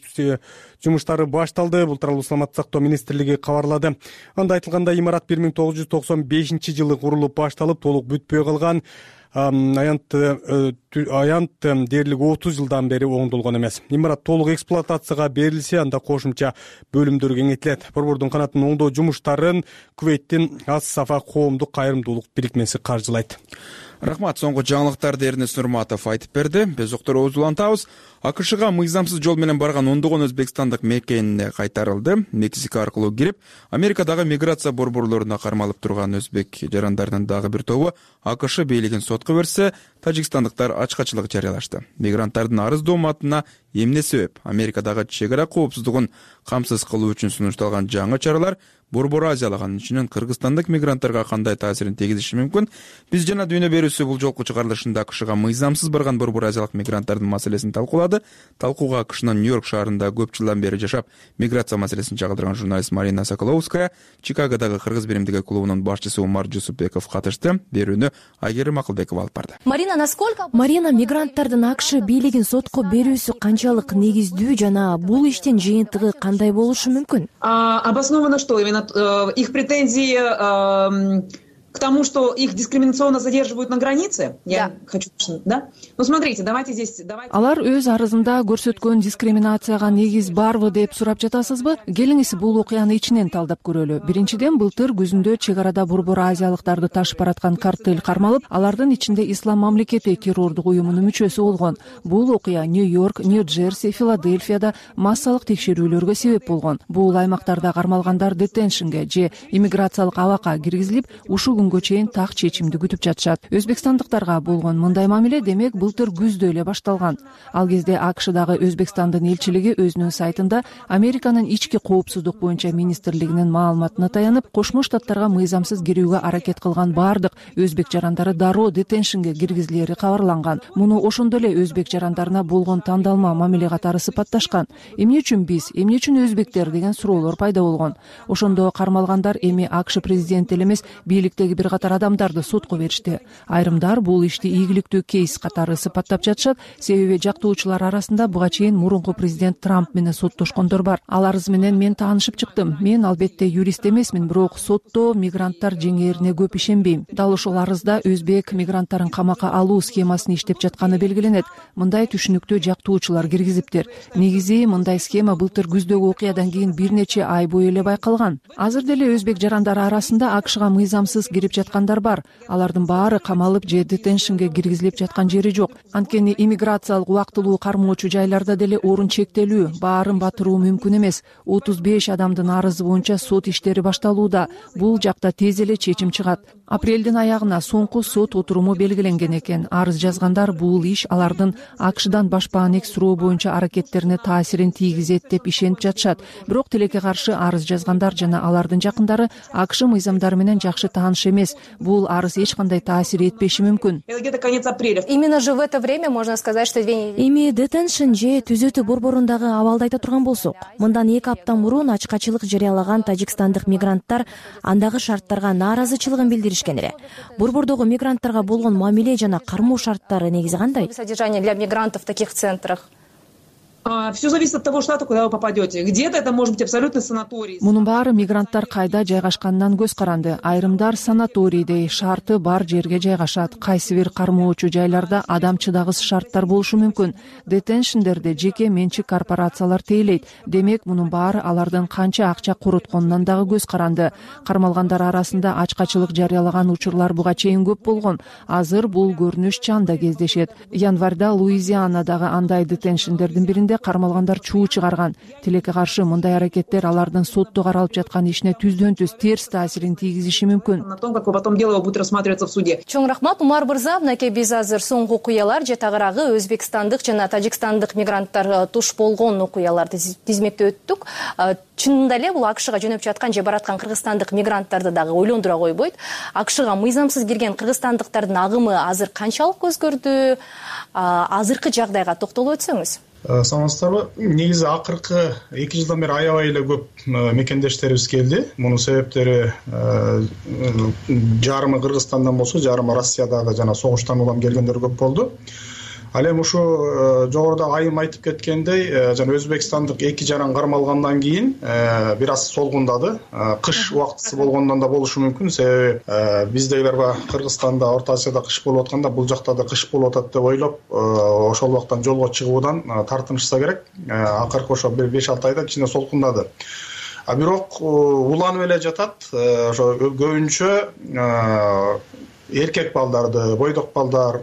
жумуштары башталды. Бул тууралуу Саламаттык сактоо министрлиги кабарлады. Анда айтылгандай, имарат 1995-жылы курулуп башталып, толук бүтпөй калган. Аянт дээрлик 30 жылдан бери оңдолгон эмес. Имарат толук эксплуатацияга берилсе, анда кошумча бөлүмдөр кеңейтилет. Борбордун канатын оңдоо жумуштарын Кувейттин Ас-Сафа коомдук кайрымдуулук бирикмеси каржылайт. Рахмат, соңку жаңылыктарды Эрнест Нурматов айтып берди. Биз доктор улантабыз. АКШга мыйзамсыз жол менен барган ондогон өзбекстандык мекенине кайтарылды. Мексика аркылуу кирип, Америкадагы миграция борборлоруна кармалып турган өзбек жарандардын дагы бир тобу АКШ бийлигин сотко берсе, тажикстандыктар ачкачылык жарыялашты. Мигранттардын арыздоо матына эмне себеп? Америкадагы чек ара коопсуздугун камсыз кылуу үчүн сунушталган жаңы чаралар Борбор Азиялык, анын ичинен кыргызстандык мигранттарга кандай таасирин тийгизиши мүмкүн? Биз жана дүйнө берүүсү бул жолку чыгарылышында АКШга мыйзамсыз барган Борбор Азиялык мигранттардын маселесин талкуулады. Талкууга АКШнын Нью-Йорк шаарында көп жылдан бери жашап, миграция маселесин чагылдырган журналист Марина Соколовская, Чикагодагы кыргыз биримдиги клубунун башчысы Умар Жусупбеков катышты. Берүүнү Айгерим Акылбекова алып барды. Марина, мигранттардын АКШ бийлигин сотко берүүсү канчалык негиздүү жана бул иштин жыйынтыгы кандай болушу мүмкүн? Обосновано что? Именно их претензии к тому, что их дискриминационно задерживают на границе? Я хочу, да? Ну, смотрите, давайте здесь... Алар өз арызында көрсөткөн дискриминацияга негиз барбы деп сурап жатасызбы? Келиңиз бул окуяны ичинен талдап көрөлү. Биринчиден, былтыр күзүндө чек арада Борбор Азиялыктарды ташып бараткан картель кармалып, алардын ичинде Ислам мамлекети террордук уюмунун мүчөсү болгон. Бул окуя Нью-Йорк, Нью-Джерси, Филадельфияда массалык текшерүүлөргө себеп болгон. Бул аймактарда кармалгандар детеншнге же иммиграциялык абакка киргизилип, ушул күнгө чейин так чечимди күтүп жатышат. Өзбекстандыктарга болгон мындай мамиле демек былтыр күздө эле башталган. Ал кезде АКШдагы Өзбекстандын элчилиги өзүнүн сайтында Американын ички коопсуздук боюнча министрлигинин маалыматына таянып, Кошмо Штаттарга мыйзамсыз кирүүгө аракет кылган бардык өзбек жарандары дароо детеншнге киргизилери кабарланган. Муну ошондо эле өзбек жарандарына болгон тандалма мамиле катары сыпатташкан. Эмне үчүн биз, эмне үчүн өзбектер деген суроолор пайда болгон. Ошондо кармалгандар эми АКШ президенти эле эмес, бийликтеги бир катар адамдарды сотко беришти. Айрымдар бул ишти ийгиликтүү кейс катары сыпаттап жатышат, себеби жактоочулар арасында буга чейин мурунку президент Трамп менен соттошкондор бар. Ал арыз менен мен таанышып чыктым. Мен албетте юрист эмесмин, бирок сотто мигранттар жеңээрине көп ишенбейм. Дал ошол арызда өзбек мигранттарын камакка алуу схемасын иштеп жатканы белгиленет. Мындай түшүнүктү жактоочулар киргизиптир. Негизи мындай схема былтыр күздөгү окуядан кийин бир нече ай бою эле байкалган. Азыр деле өзбек жарандары арасында АКШга мыйзамсыз кирип жаткандар бар. Алардын баары камалып же детеншнге киргизилип жаткан жери жок. Анткени иммиграциялык убактылуу кармоочу жайларда деле орун чектелүү, баарын батыруу мүмкүн эмес. 35 адамдын арызы боюнча сот иштери башталууда. Бул жакта тез эле чечим чыгат. Апрелдин аягына соңку сот отуруму белгиленген экен. Арыз жазгандар бул иш алардын АКШдан башпаанек суроо боюнча аракеттерине таасирин тийгизет деп ишенип жатышат. Бирок тилекке каршы арыз жазгандар жана алардын жакындары АКШ мыйзамдары менен жакшы тааныш эмес. Бул арыз эч кандай таасир этпеши мүмкүн. Именно же в это время можно сказать, что эми детеншн же түзөтүү борборундагы абалды айта турган болсок, мындан 2 апта мурун ачкачылык жарыялаган тажикстандык мигранттар андагы шарттарга нааразычылыгын билдиришкен. билдиришкен эле. Борбордогу мигранттарга болгон мамиле жана кармоо шарттары негизи кандай? Содержание для мигрантов в таких центрах. Все зависит от того штата, куда вы попадете. Где-то это может быть абсолютно санаторий. Мунун баары мигранттар кайда жайгашканынан көз каранды. Айрымдар санаторийдей шарты бар жерге жайгашат. Кайсы бир кармоочу жайларда адам чыдагыс шарттар болушу мүмкүн. Детеншндерде жеке менчик корпорациялар тейлейт. Демек, мунун баары алардын канча акча коротконунан дагы көз каранды. Кармалгандар арасында ачкачылык жарыялаган учурлар буга чейин көп болгон. Азыр бул көрүнүш чанда кездешет. Январда Луизианадагы андай детеншндердин биринде кармалгандар чуу чыгарган. Тилекке каршы мындай аракеттер алардын сотто каралып жаткан ишине түздөн-түз терс таасирин тийгизиши мүмкүн. На том, как потом дело будет рассматриваться в суде. Чоң рахмат, Умар Мырза. Мынакей биз азыр соңку окуялар же тагыраагы өзбекстандык жана тажикстандык мигранттар туш болгон окуяларды тизмектеп өттүк. Чынында эле бул АКШга жөнөп жаткан же бараткан кыргызстандык мигранттарды дагы ойлондура койбойт. АКШга мыйзамсыз кирген кыргызстандыктардын агымы азыр канчалык өзгөрдү? Азыркы жагдайга токтолуп өтсөңүз. Саламатсыздарбы? Негизи акыркы 2 жылдан бери аябай эле көп мекендештерибиз келди. Мунун себептери жарымы Кыргызстандан болсо, жарымы Россиядагы жана согуштан улам келгендер көп болду. Ал эми ушу жогоруда айым айтып кеткендей, жана Өзбекстандык 2 жаран кармалгандан кийин бир аз солгундады. Кыш убактысы болгондон да болушу мүмкүн. Себеби биздегилер Кыргызстанда, Орто Азияда кыш болуп атканда, бул жакта да кыш болуп атат деп ойлоп, ошол убактан жолго чыгуудан тартынышса керек. Акыркы ошо 5-6 айда кичине солкундады. Бирок уланып эле жатат. Ошо көбүнчө эркек балдарды, бойдок балдар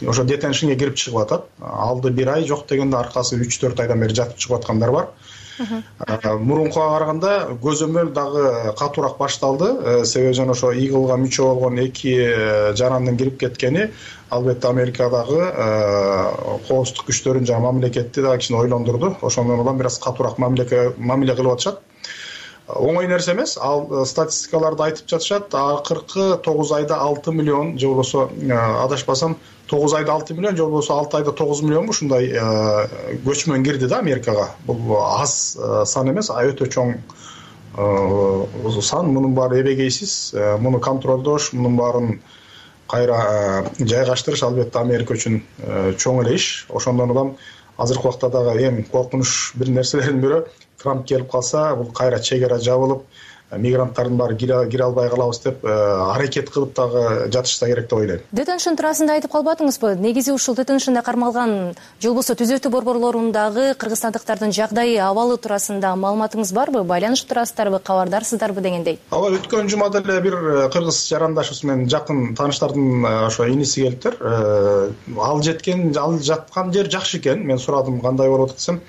ошо детеншнге кирип чыгып атат. Алды 1 ай, жок дегенде аркасы 3-4 айдан бери жатып чыгып аткандар бар. Мурункуга караганда көзөмөл дагы катуураак башталды. Себеби жана ошо игылга мүчө болгон 2 жарандын кирип кеткени албетте Америкадагы коопсуздук күчтөрүн жана мамлекетти дагы кичине ойлондурду. Ошондон улам бир аз катуураак мамиле кылып атышат. Оңой нерсе эмес. Ал статистикаларды айтып жатышат. Акыркы 9 айда 6 миллион же болбосо адашпасам 9 айда 6 миллион же болбосо 6 айда 9 миллион ушундай көчмөн кирди да Америкага. Бул аз сан эмес, өтө чоң сан. Мунун баары эбегейсиз, муну контролдош, мунун баарын кайра жайгаштырыш албетте Америка үчүн чоң эле иш. Ошондон улам азыркы убакта дагы эң коркунуч бир нерселердин бири Трамп келип калса, бул кайра чегара жабылып, мигранттардын баары кире албай калабыз деп аракет кылып дагы жатышса керек деп ойлойм. Детеншн туурасында айтып калбадыңызбы? Негизи ушул детеншнда кармалган же болбосо түзөтүү борборлорундагы кыргызстандыктардын жагдайы, абалы туурасында маалыматыңыз барбы? Байланышып турасыздарбы, кабардарсыздарбы дегендей? Ооба, өткөн жумада эле бир кыргыз жарандашыбыз менен жакын тааныштардын ошо иниси келиптир. Ал жаткан жер жакшы экен. Мен сурадым кандай болуп атат десем,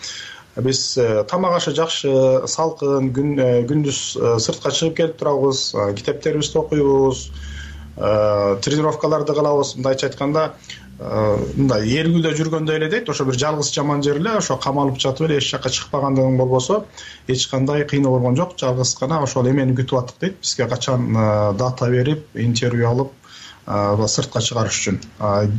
биз тамак ашы жакшы, салкын, күндүз сыртка чыгып келип турабыз, китептерибизди окуйбуз, тренировкаларды кылабыз. Мындайча айтканда, мындай эргүүлдө жүргөндөй эле дейт. Ошо бир жалгыз жаман жер эле, ошо камалып жатып эле эч жакка чыкпагандыгың болбосо, эч кандай кыйноо болгон жок. Жалгыз гана ошол эмени күтүп аттык дейт. Бизге качан дата берип, интервью алып, сыртка чыгарыш үчүн.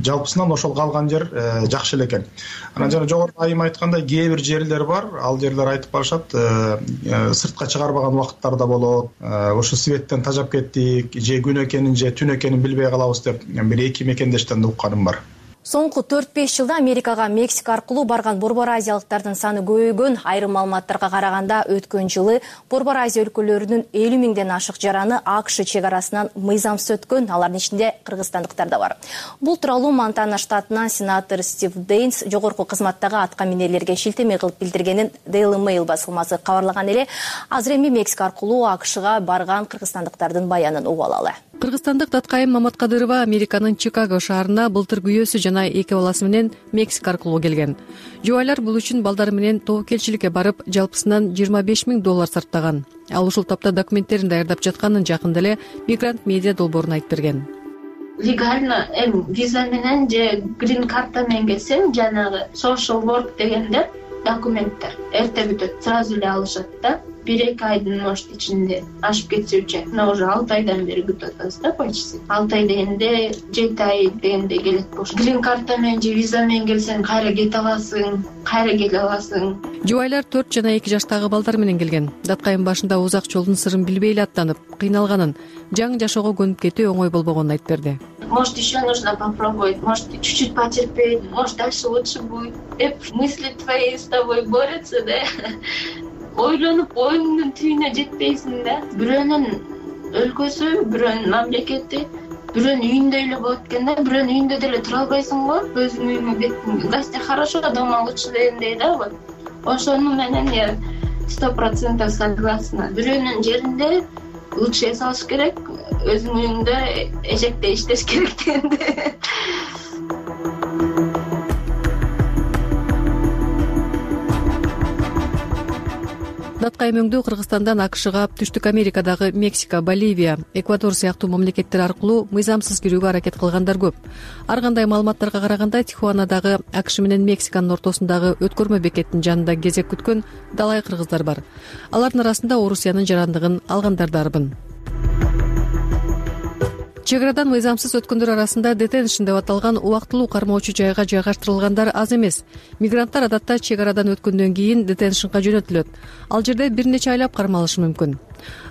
Жалпысынан ошол калган жер жакшы эле экен. Анан жана жогоруда айым айткандай кээ бир жерлер бар. Ал жерлер айтып барышат, сыртка чыгарбаган убакыттарда болот. Ошо светтен тажап кеттик, же күн экенин же түн экенин билбей калабыз деп бир 2 мекендештен да укканым бар. Соңку 4-5 жылда Америкага Мексика аркылуу барган Борбор Азиялыктардын саны көбөйгөн. Айрым маалыматтарга караганда өткөн жылы Борбор Азия өлкөлөрүнүн 50 миңден ашык жараны АКШ чек арасынан мыйзамсыз өткөн. Алардын ичинде кыргызстандыктар да бар. Бул тууралуу Монтана штатынан сенатор Стив Дейнс жогорку кызматтагы атка минерлерге шилтеме кылып билдиргенин Daily Mail басылмасы кабарлаган эле. Азыр эми Мексика аркылуу АКШга барган кыргызстандыктардын баянын угуп алалы. Кыргызстандык Таткайым Маматкадырова Американын Чикаго шаарына былтыр күйөөсү жана 2 баласы менен Мексика аркылуу келген. Жубайлар бул үчүн балдары менен тобокелчиликке барып, жалпысынан $25 000 сарптаган. Ал ушул тапта документтерин даярдап жатканын жакында эле Мигрант медиа долбооруна айтып берген. Легально виза менен же грин карта менен келсең, жанагы social work дегендер документтер эрте бүтөт, сразу эле алышат да. 1-2 айдын может ичинде ашып кетсе мына уже 6 айдан бери күтүп атабыз да, почти 6 ай дегенде 7 ай дегенде келет болуш. Грин карта менен же виза менен келсең кайра кете аласың, кайра келе аласың. Жубайлар 4 жана 2 жаштагы балдар менен келген. Датка айым башында узак жолдун сырын билбей эле аттанып, кыйналганын, жаңы жашоого көнүп кетүү оңой болбогонун айтып берди. Может, еще нужно попробовать, может, чуть-чуть потерпеть, может, дальше лучше будет. Мысли твои с тобой борются, да? Ойлонуп, оюңдун түйүнө жетпейсиң да. Бирөөнүн өлкөсү, бирөөнүн мамлекети, бирөөнүн үйүндө эле болот экен да, бирөөнүн үйүндө деле тура албайсың го, өзүңдүн үйүңө беттиң. Гостя хорошо, дома лучше дегендей да, вот. Ошону менен я 100% согласна. Бирөөнүн жеринде лучше эсалыш керек, өзүңдүн үйүңдө эжекте иштеш керек дегенде. Датка айымөңдүү Кыргызстандан АКШга, Түштүк Америкадагы Мексика, Боливия, Эквадор сыяктуу мамлекеттер аркылуу мыйзамсыз кирүүгө аракет кылгандар көп. Ар кандай маалыматтарга караганда, Тихуанадагы АКШ менен Мексиканын ортосундагы өткөрмө бекеттин жанында кезек күткөн далай кыргыздар бар. Алардын арасында Орусиянын жарандыгын алгандар дарбын. Чек арадан мыйзамсыз өткөндөр арасында детеншн деп аталган убактылуу кармоочу жайга жайгаштырылгандар аз эмес. Мигранттар адатта чек арадан өткөндөн кийин детеншнга жөнөтүлөт. Ал жерде бир нече айлап кармалышы мүмкүн.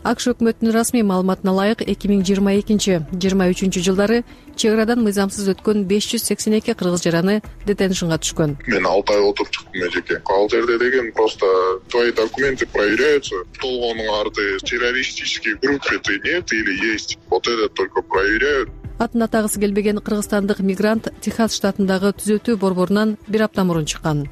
АКШ өкмөтүнүн расмий маалыматына ылайык 2022-23 жылдары чек арадан мыйзамсыз өткөн 582 кыргыз жараны детеншнга түшкөн. Мен 6 ай отуруп чыктым эжеке. Ал жерде деген просто твои документы проверяются, толгонуң арты террористический группе ты нет или есть. Вот это только проверяют. Атын атагысы келбеген кыргызстандык мигрант Техас штатындагы түзөтүү борборунан бир апта мурун чыккан.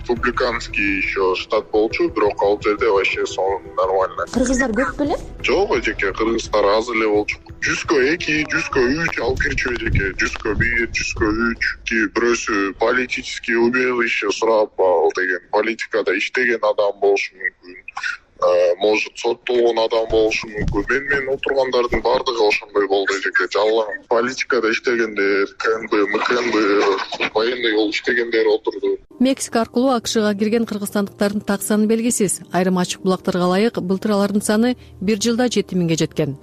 Республиканский еще штат болчу, бирок ал жерде вообще сон нормально. Кыргыздар көп беле? Жок эжеке, кыргыздар аз эле болчу. 100-2, 100-3 алып кирчү эжеке, 100-1, 100-3. Бирөөсү политический убежище сурап ал деген, политикада иштеген адам болушу мүмкүн. Может, соттолгон адам болушу мүмкүн. Мен отургандардын баардыгы ошондой болду эжеке. Жалаң политикада иштегендер, КНБ, МКНБ, военный болуп иштегендер отурду. Мексика аркылуу АКШга кирген кыргызстандыктардын так саны белгисиз. Айрым ачык булактарга ылайык былтыр алардын саны бир жылда 7000 жеткен.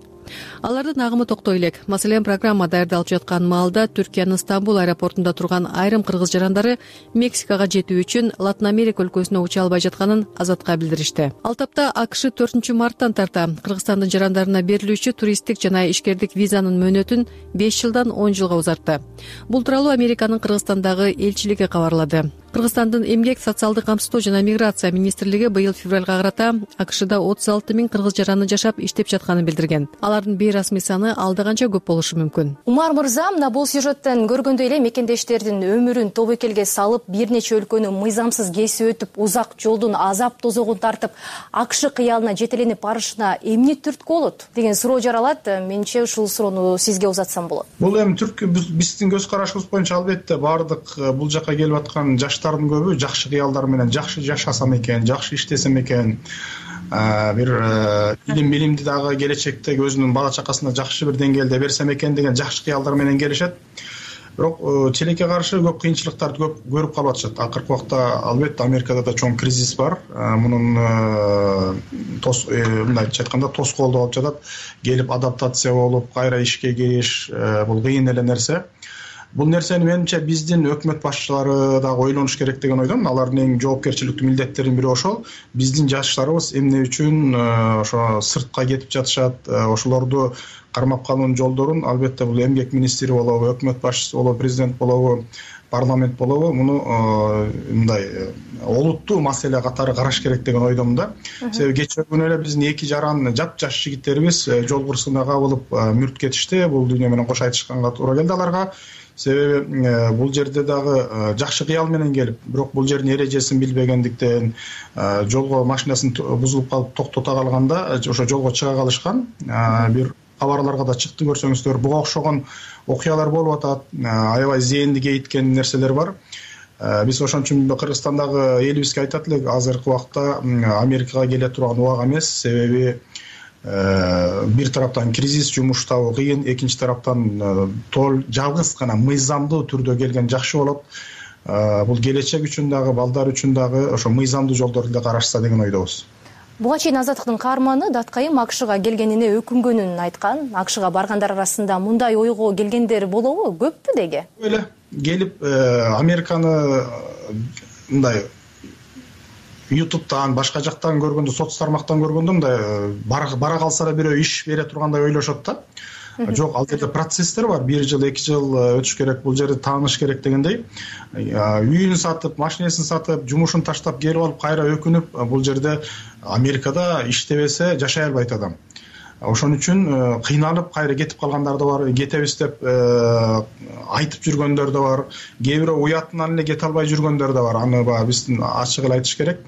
Алардын агымы токтой элек. Маселен, программа даярдалып жаткан маалда Түркиянын Стамбул аэропортунда турган айрым кыргыз жарандары Мексикага жетүү үчүн Латын Америка өлкөсүнө уча албай жатканын Азатка билдиришти. Ал тапта АКШ 4 марттан тарта Кыргызстандын жарандарына берилүүчү туристтик жана ишкердик визанын мөөнөтүн 5 жылдан 10 жылга узартты. Бул тууралуу Американын Кыргызстандагы элчилиги кабарлады. Кыргызстандын эмгек, социалдык камсыздоо жана миграция министрлиги быйыл февралга карата АКШда 36 000 кыргыз жараны жашап иштеп жатканын билдирген. Алардын бейрасмий саны алда канча көп болушу мүмкүн. Умар мырза, мына бул сюжеттен көргөндөй эле мекендештердин өмүрүн тобокелге салып, бир нече өлкөнү мыйзамсыз кесип өтүп, узак жолдун азап тозогун тартып, АКШ кыялына жетеленип барышына эмне түрткү болот деген суроо жаралат. Менче ушул суроону сизге узатсам болот. Бул эми түрткү биздин көз карашыбыз боюнча албетте баардык бул жака келип аткан жаштардын көбү жакшы кыялдар менен жакшы жашасам экен, жакшы иштесем экен, бир билимди дагы келечекте өзүнүн бала чакасына жакшы бир деңгээлде берсем экен деген жакшы кыялдар менен келишет. Бирок тилекке каршы көп кыйынчылыктарды көп көрүп калып атышат. Акыркы убакта албетте Америкада да чоң кризис бар. Мунун мындайча айтканда тоскоолдуп алып жатат. Келип адаптация болуп, кайра ишке кириш бул кыйын эле нерсе. Бул нерсени менимче биздин өкмөт башчылары дагы ойлонуш керек деген ойдомун. Алардын эң жоопкерчиликтүү милдеттеринин бири ошол. Биздин жаштарыбыз эмне үчүн ошо сыртка кетип жатышат, ошолорду кармап калуунун жолдорун албетте бул эмгек министри болобу, өкмөт башчысы болобу, президент болобу, парламент болобу муну мындай олуттуу маселе катары караш керек деген ойдомун да. Себеби кечээ күнү эле биздин 2 жаран жапжаш жигиттерибиз жол кырсыгына кабылып мүрт кетишти. Бул дүйнө менен кош айтышканга туура келди аларга. Себеби бул жерде дагы жакшы кыял менен келип, бирок бул жердин эрежесин билбегендиктен жолго машинасын бузулуп калып токтото калганда ошо жолго чыга калышкан. Бир кабарларга да чыкты, көрсөңүздөр, буга окшогон окуялар болуп атат. Аябай зээнди кейиткен нерселер бар. Биз ошон үчүн Кыргызстандагы элибизге айтат элек, азыркы убакта Америкага келе турган убак эмес. Себеби бир тараптан кризис, жумуш табуу кыйын, экинчи тараптан жалгыз гана мыйзамдуу түрдө келген жакшы болот. Бул келечек үчүн дагы, балдар үчүн дагы ошо мыйзамдуу жолдорду да карашса деген ойдобуз. Буга чейин Азаттыктын каарманы Даткайым АКШга келгенине өкүнгөнүн айткан. АКШга баргандар арасында мындай ойго келгендер болобу? Көппү деге? Эле келип Американы мындай YouTube'тан, башка жактан көргөндө, соц тармактан көргөндө мындай бара калса да бирөө иш бере тургандай ойлошот да. Жок, ал жерде процесстер бар. 1 жыл, 2 жыл өтүш керек, бул жерде тааныш керек дегендей. Үйүн сатып, машинесин сатып, жумушун таштап келип алып кайра өкүнүп, бул жерде Америкада иштебесе жашай албайт адам. Ошон үчүн кыйналып кайра кетип калгандар да бар, кетебиз деп айтып жүргөндөр да бар. Кээ бирөө уятынан эле кете албай жүргөндөр да бар. Аны биздин ачык эле айтыш керек.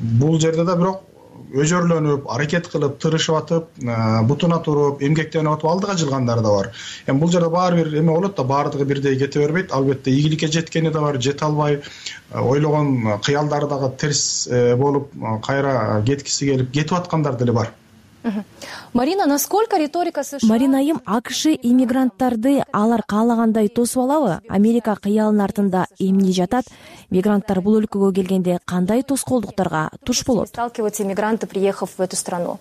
Бул жерде да бирок өжөрлөнүп, аракет кылып, тырышып атып, бутуна туруп, эмгектенип атып алдыга жылгандар да бар. Эми бул жерде баары бир эме болот да, баардыгы бирдей кете бербейт. Албетте ийгиликке жеткени да бар, жете албай, ойлогон кыялдары дагы терс болуп, кайра кеткиси келип, кетип аткандар деле бар. Марина, насколько риторика США... Марина айым, АКШ иммигранттарды алар каалагандай тосуп алабы? Америка кыялынын артында эмне жатат? Мигранттар бул өлкөгө келгенде кандай тоскоолдуктарга туш болот? Сталкиваются иммигранты, приехав в эту страну?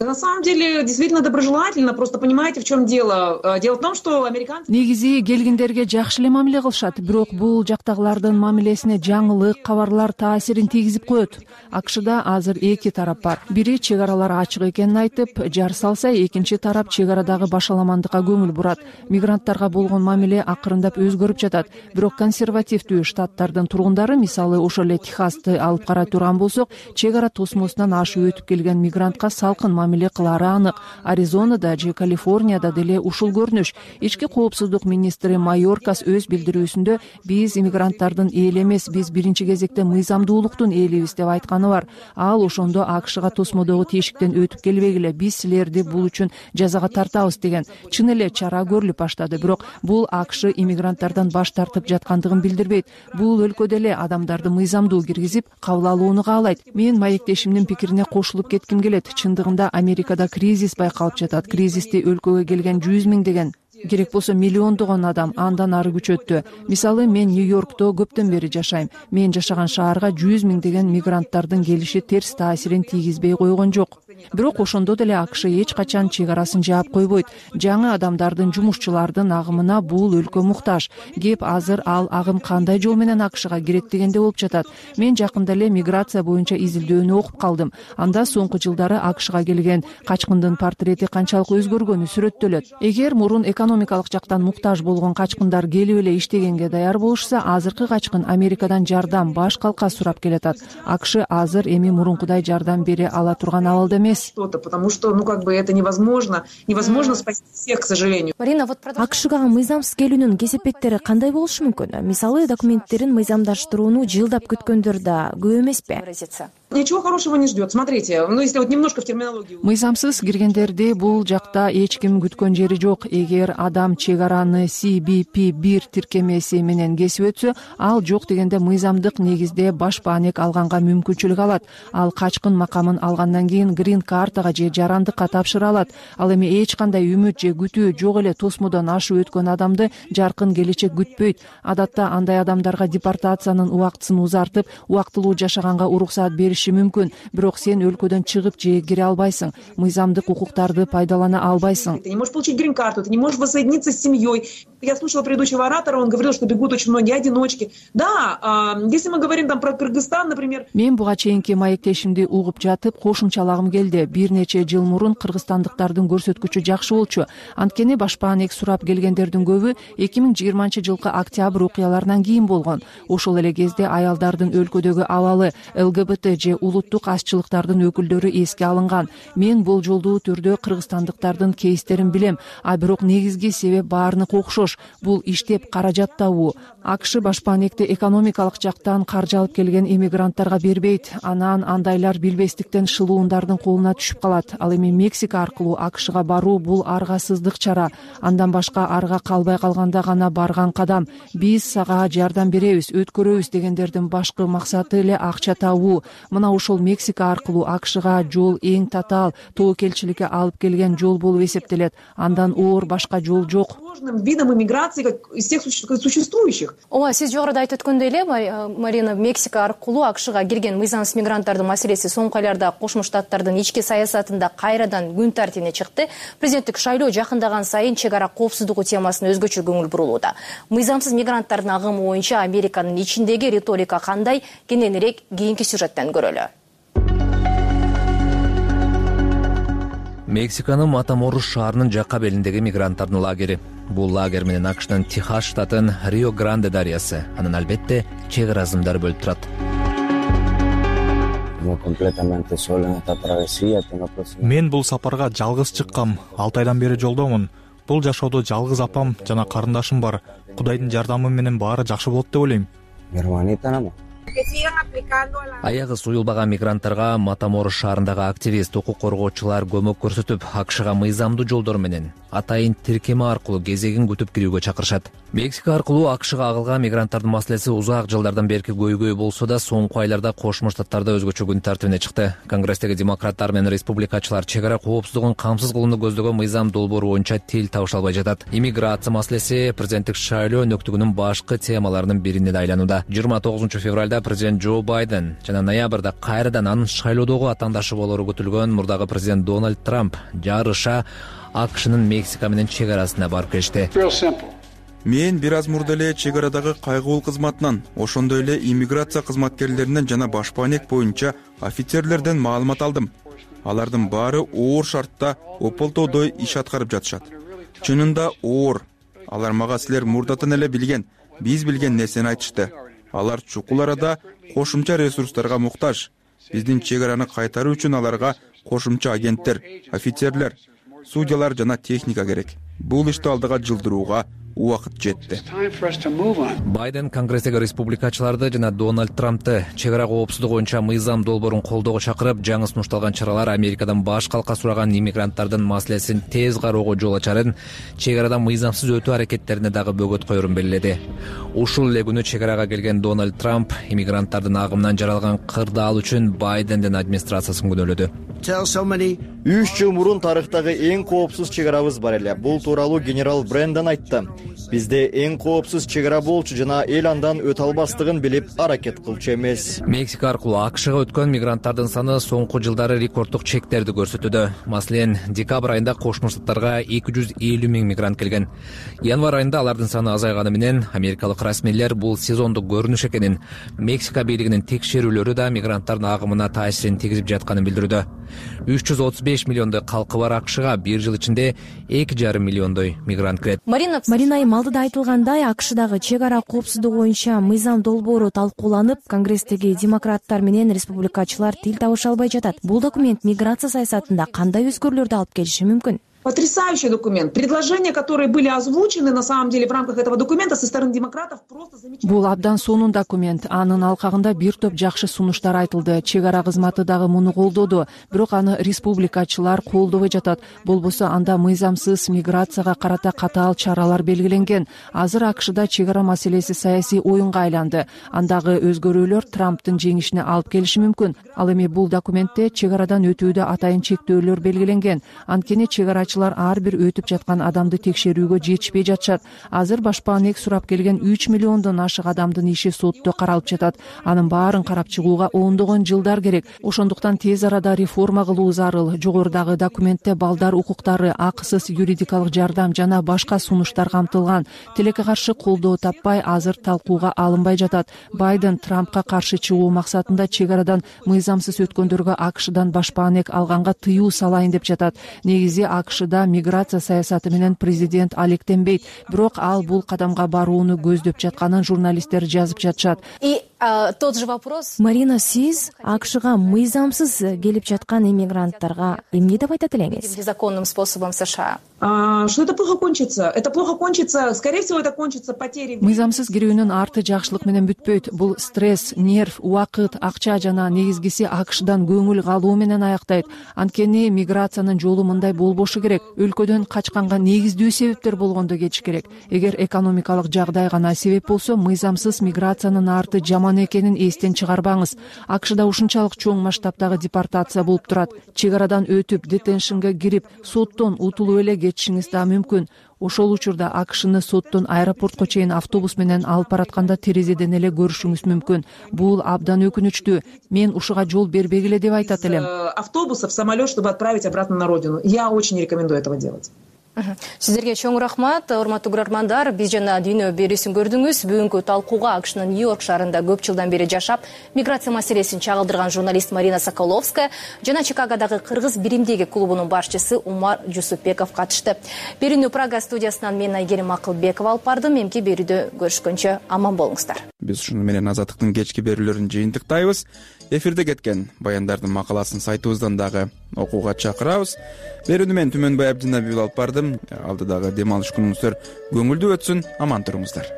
На самом деле, действительно доброжелательно, просто понимаете, в чем дело? Дело в том, что американцы... Негизи келгендерге жакшы эле мамиле кылышат, бирок бул жактагылардын мамилесине жаңылык, кабарлар таасирин тийгизип коет. АКШда азыр эки тарап бар. Бири чек аралар ачык экенин айтып, жар салса, экинчи тарап чек арадагы башаламандыкка көңүл бурат. Мигранттарга болгон мамиле акырындап өзгөрүп жатат. Бирок консервативдүү штаттардын тургундары, мисалы ошол эле Техасты алып карай турган болсок, чек ара тосмосунан ашып өтүп келген мигрантка салкын мамиле кылары анык. Аризонада же Калифорнияда деле ушул көрүнүш. Ички коопсуздук министри Майоркас өз билдирүүсүндө биз иммигранттардын эли эмес, биз биринчи кезекте мыйзамдуулуктун элибиз деп айтканы бар. Ал ошондо АКШга тосмодогу тешиктен өтүп келбегиле, биз силерди бул үчүн жазага тартабыз деген. Чын эле чара көрүлүп баштады, бирок бул АКШ иммигранттардан баш тартып жаткандыгын билдирбейт. Бул өлкөдө эле адамдарды мыйзамдуу киргизип, кабыл алууну каалайт. Мен маектешимдин пикирине кошулуп кетким келет. Чындыгында Америкада кризис байкалып жатат. Кризисти өлкөгө келген 100 миңдеген, керек болсо миллиондогон адам андан ары күчөттү. Мисалы, мен Нью-Йоркто көптөн бери жашайм. Мен жашаган шаарга 100 миңдеген мигранттардын келиши терс таасирин тийгизбей койгон жок. Бирок ошондо деле АКШ эч качан чек арасын жаап койбойт. Жаңы адамдардын, жумушчулардын агымына бул өлкө муктаж. Кеп азыр ал агым кандай жол менен АКШга кирет дегенде болуп жатат. Мен жакында эле миграция боюнча изилдөөнү окуп калдым. Анда соңку жылдары АКШга келген качкындын портрети канчалык өзгөргөнү сүрөттөлөт. Эгер мурун экономикалык жактан муктаж болгон качкындар келип эле иштегенге даяр болушса, азыркы качкын Америкадан жардам, баш калка сурап келатат. АКШ азыр эми мурункудай жардам бере ала турган абалда эмес. Потому что, это невозможно спасти всех, к сожалению. Марина, АКШга мыйзамсыз келүүнүн кесепеттери кандай болушу мүмкүн? Мисалы, документтерин мыйзамдаштырууну жылдап күткөндөр да көп эмеспи? Ничего хорошего не ждет. Смотрите, если немножко в терминологию. Мыйзамсыз киргендерди бул жакта эч ким күткөн жери жок. Эгер адам чек араны CBP-1 тиркемеси менен кесип өтсө, ал жок дегенде мыйзамдык негизде баш бааник алганга мүмкүнчүлүк алат. Ал качкын макамын алгандан кийин грин картага же жарандыкка тапшыра алат. Ал эми эч кандай үмүт же күтүү жок эле тосмодон ашып өткөн адамды жаркын келечек күтпөйт. Адатта андай адамдарга депортациянын убактысын узартып, убактылуу жашаганга уруксаат бериши мүмкүн, бирок сен өлкөдөн чыгып же кире албайсың, мыйзамдык укуктарды пайдалана албайсың. Ты не можешь получить грин-карту, ты не можешь воссоединиться с семьей. Я слушала предыдущего оратора, он говорил, что бегут очень многие одиночки. Да, если мы говорим про Кыргызстан, например. Мен буга чейинки маектешимди угуп жатып, кошумчалагым келди. Бир нече жыл мурун кыргызстандыктардын көрсөткүчү жакшы болчу. Анткени баш бааник сурап келгендердин көбү 2020-жылкы октябрь окуяларынан кийин болгон. Ошол эле кезде аялдардын өлкөдөгү абалы, ЛГБТ же улуттук азчылыктардын өкүлдөрү эске алынган. Мен болжолдуу түрдө кыргызстандыктардын кейстерин билем, бирок негизги себеп баарынык окшош. Бул иштеп каражат табуу. АКШ баш бааникти экономикалык жактан каржы алып келген иммигранттарга бербейт. Анан андайлар билбестиктен шылуундардын колуна түшүп калат. Ал эми Мексика аркылуу АКШга баруу бул аргасыздык чара. Андан башка арга калбай калганда гана барган кадам. Биз сага жардам беребиз, өткөрөбүз дегендердин башкы максаты эле акча табуу. мына ушул Мексика аркылуу АКШга жол эң татаал тобокелчиликке алып келген жол болуп эсептелет. Андан оор башка жол жок. Видом иммиграции из всех существующих. Ооба, сиз жогоруда айтып өткөндөй эле, Марина, Мексика аркылуу АКШга кирген мыйзамсыз мигранттардын маселеси соңку айларда Кошмо Штаттардын ички саясатында кайрадан күн тартибине чыкты. Президенттик шайлоо жакындаган сайын чек ара коопсуздугу темасына өзгөчө көңүл бурулууда. Мыйзамсыз мигранттардын агымы боюнча Американын ичиндеги риторика кандай? Кененирээк кийинки сюжеттен көрөлү. Мексиканын Матаморус шаарынын жакка белиндеги мигранттардын лагери. Бул лагерь менен АКШнын Техас штатын Рио Гранде дарыясы. Анын албетте чек ара ызымдары бөлүп турат. Мен бул сапарга жалгыз чыккам. 6 айдан бери жолдомун. Бул жашоодо жалгыз апам жана карындашым бар. Кудайдын жардамы менен баары жакшы болот деп ойлойм. Аягы суюлбаган мигранттарга Матаморус шаарындагы активист, укук коргоочулар көмөк көрсөтүп, АКШга мыйзамдуу жолдор менен атайын тиркеме аркылуу кезегин күтүп кирүүгө чакырышат. Мексика аркылуу АКШга агылган мигранттардын маселеси узак жылдардан берки көйгөй болсо да, соңку айларда Кошмо Штаттарда өзгөчө күн тартибине чыкты. Конгресстеги демократтар менен республикачылар чек ара коопсуздугун камсыз кылууну көздөгөн мыйзам долбоору боюнча тил табыша албай жатат. Иммиграция маселеси президенттик шайлоо өнөктүгүнүн башкы темаларынын бирине да айланууда. 29 февралда президент Джо Байден жана ноябрда кайрадан анын шайлоодогу атаандашы болору күтүлгөн мурдагы президент Дональд Трамп жарыша АКШнын Мексика менен чек арасына барып келишти. Мен бир аз мурда эле чек арадагы кайгылуу кызматынан, ошондой эле иммиграция кызматкерлеринен жана башпаанек боюнча офицерлерден маалымат алдым. Алардын баары оор шартта ополтоодой иш аткарып жатышат. Чынында оор. Алар мага силер мурдатан эле билген, биз билген нерсени айтышты. Алар чукул арада кошумча ресурстарга муктаж. Биздин чек араны кайтаруу үчүн аларга кошумча агенттер, офицерлер, судьялар жана техника керек. Бул ишти алдыга жылдырууга убакыт жетти. Байден Конгресстеги республикачыларды жана Дональд Трампты чек ара коопсуздугу боюнча мыйзам долбоорун колдоого чакырып, жаңы сунушталган чаралар Америкадан баш калка сураган иммигранттардын маселесин тез кароого жол ачарын, чек арадан мыйзамсыз өтүү аракеттерине дагы бөгөт коерун белгиледи. Ушул эле күнү чек арага келген Дональд Трамп иммигранттардын агымынан жаралган кырдаал үчүн Байдендин администрациясын күнөөлөдү. 3 жыл мурун тарыхтагы эң коопсуз чек арабыз бар эле. Бул тууралуу генерал Брэндон айтты. Бизде эң коопсуз чек ара болчу жана эл андан өтө албастыгын билип аракет кылчу эмес. Мексика аркылуу АКШга өткөн мигранттардын саны соңку жылдары рекорддук чектерди көрсөтүүдө. Маселен, декабрь айында Кошмо Штаттарга 250 000 мигрант келген. Январь айында алардын саны азайганы менен америкалык расмийлер бул сезондук көрүнүш экенин, Мексика бийлигинин текшерүүлөрү да мигранттардын агымына таасирин тийгизип жатканын билдирүүдө. 335 миллиондой калкы бар АКШга бир жыл ичинде 2,5 миллиондой мигрант кирет. Марина алдыда айтылгандай, АКШдагы чек ара коопсуздугу боюнча мыйзам долбоору талкууланып, Конгресстеги демократтар менен республикачылар тил табыша албай жатат. Бул документ миграция саясатында кандай өзгөрүүлөрдү алып келиши мүмкүн? Потрясающий документ. Предложения, которые были озвучены на самом деле в рамках этого документа со стороны демократов, просто замечательно. Бул абдан сонун документ. Анын алкагында бир топ жакшы сунуштар айтылды. Чек ара кызматы дагы муну колдоду. Бирок аны республикачылар колдобой жатат. Болбосо анда мыйзамсыз миграцияга карата катаал чаралар белгиленген. Азыр АКШда чек ара маселеси саясий оюнга айланды. Андагы өзгөрүүлөр Трамптын жеңишине алып келиши мүмкүн. Ал эми бул документте чек арадан өтүүдө атайын чектөөлөр белгиленген. Анткени чек арачылар ар бир өтүп жаткан адамды текшерүүгө жетишпей жатышат. Азыр башпаанек сурап келген 3 миллиондон ашык адамдын иши сотто каралып жатат. Анын баарын карап чыгууга ондогон жылдар керек. Ошондуктан тез арада реформа кылуу зарыл. Жогорудагы документте балдар укуктары, акысыз юридикалык жардам жана башка сунуштар камтылган. Тилекке каршы колдоо таппай, азыр талкууга алынбай жатат. Байден Трампка каршы чыгуу максатында чек арадан мыйзамсыз өткөндөргө АКШдан башпаанек алганга тыюу салайын деп жатат. Негизи АКШда миграция саясаты менен президент алектенбейт, бирок ал бул кадамга барууну көздөп жатканын журналисттер жазып жатышат. И тот же вопрос. Марина, сиз АКШга мыйзамсыз келип жаткан иммигранттарга эмне деп айтат элеңиз? Незаконным способом США. Что это плохо кончится? Это плохо кончится, скорее всего, это кончится потерей. Мыйзамсыз кирүүнүн арты жакшылык менен бүтпөйт. Бул стресс, нерв, убакыт, акча жана негизгиси АКШдан көңүл калуу менен аяктайт. Анткени миграциянын жолу мындай болбошу керек. Өлкөдөн качканга негиздүү себептер болгондо кетиш керек. Эгер экономикалык жагдай гана себеп болсо, мыйзамсыз миграциянын арты жаман болгон экенин эстен чыгарбаңыз. АКШда ушунчалык чоң масштабтагы депортация болуп турат. Чек арадан өтүп, детеншнге кирип, соттон утулуп эле кетишиңиз да мүмкүн. Ошол учурда АКШны соттон аэропортко чейин автобус менен алып баратканда терезеден эле көрүшүңүз мүмкүн. Бул абдан өкүнүчтүү. Мен ушуга жол бербегиле деп айтат элем. Автобуса в самолет, чтобы отправить обратно на родину. Я очень не рекомендую этого делать. Сиздерге чоң рахмат, урматтуу көрөрмандар. Биз жана дүйнө берүүсүн көрдүңүз. Бүгүнкү талкууга АКШнын Нью-Йорк шаарында көп жылдан бери жашап, миграция маселесин чагылдырган журналист Марина Соколовская жана Чикагодагы кыргыз биримдиги клубунун башчысы Умар Жусупбеков катышты. Берүүнү Прага студиясынан мен Айгерим Акылбекова алып бардым. Эмки берүүдө көрүшкөнчө аман болуңуздар. Биз ушуну менен Азаттыктын кечки берүүлөрүн жыйынтыктайбыз. Эфирде кеткен баяндардын макаласын сайтыбыздан дагы окууга чакырабыз. Берүүнү мен Түмөнбай Абдинабиев алып бардым. Алдыдагы дем алыш күнүңүздөр көңүлдүү өтсүн, аман туруңуздар.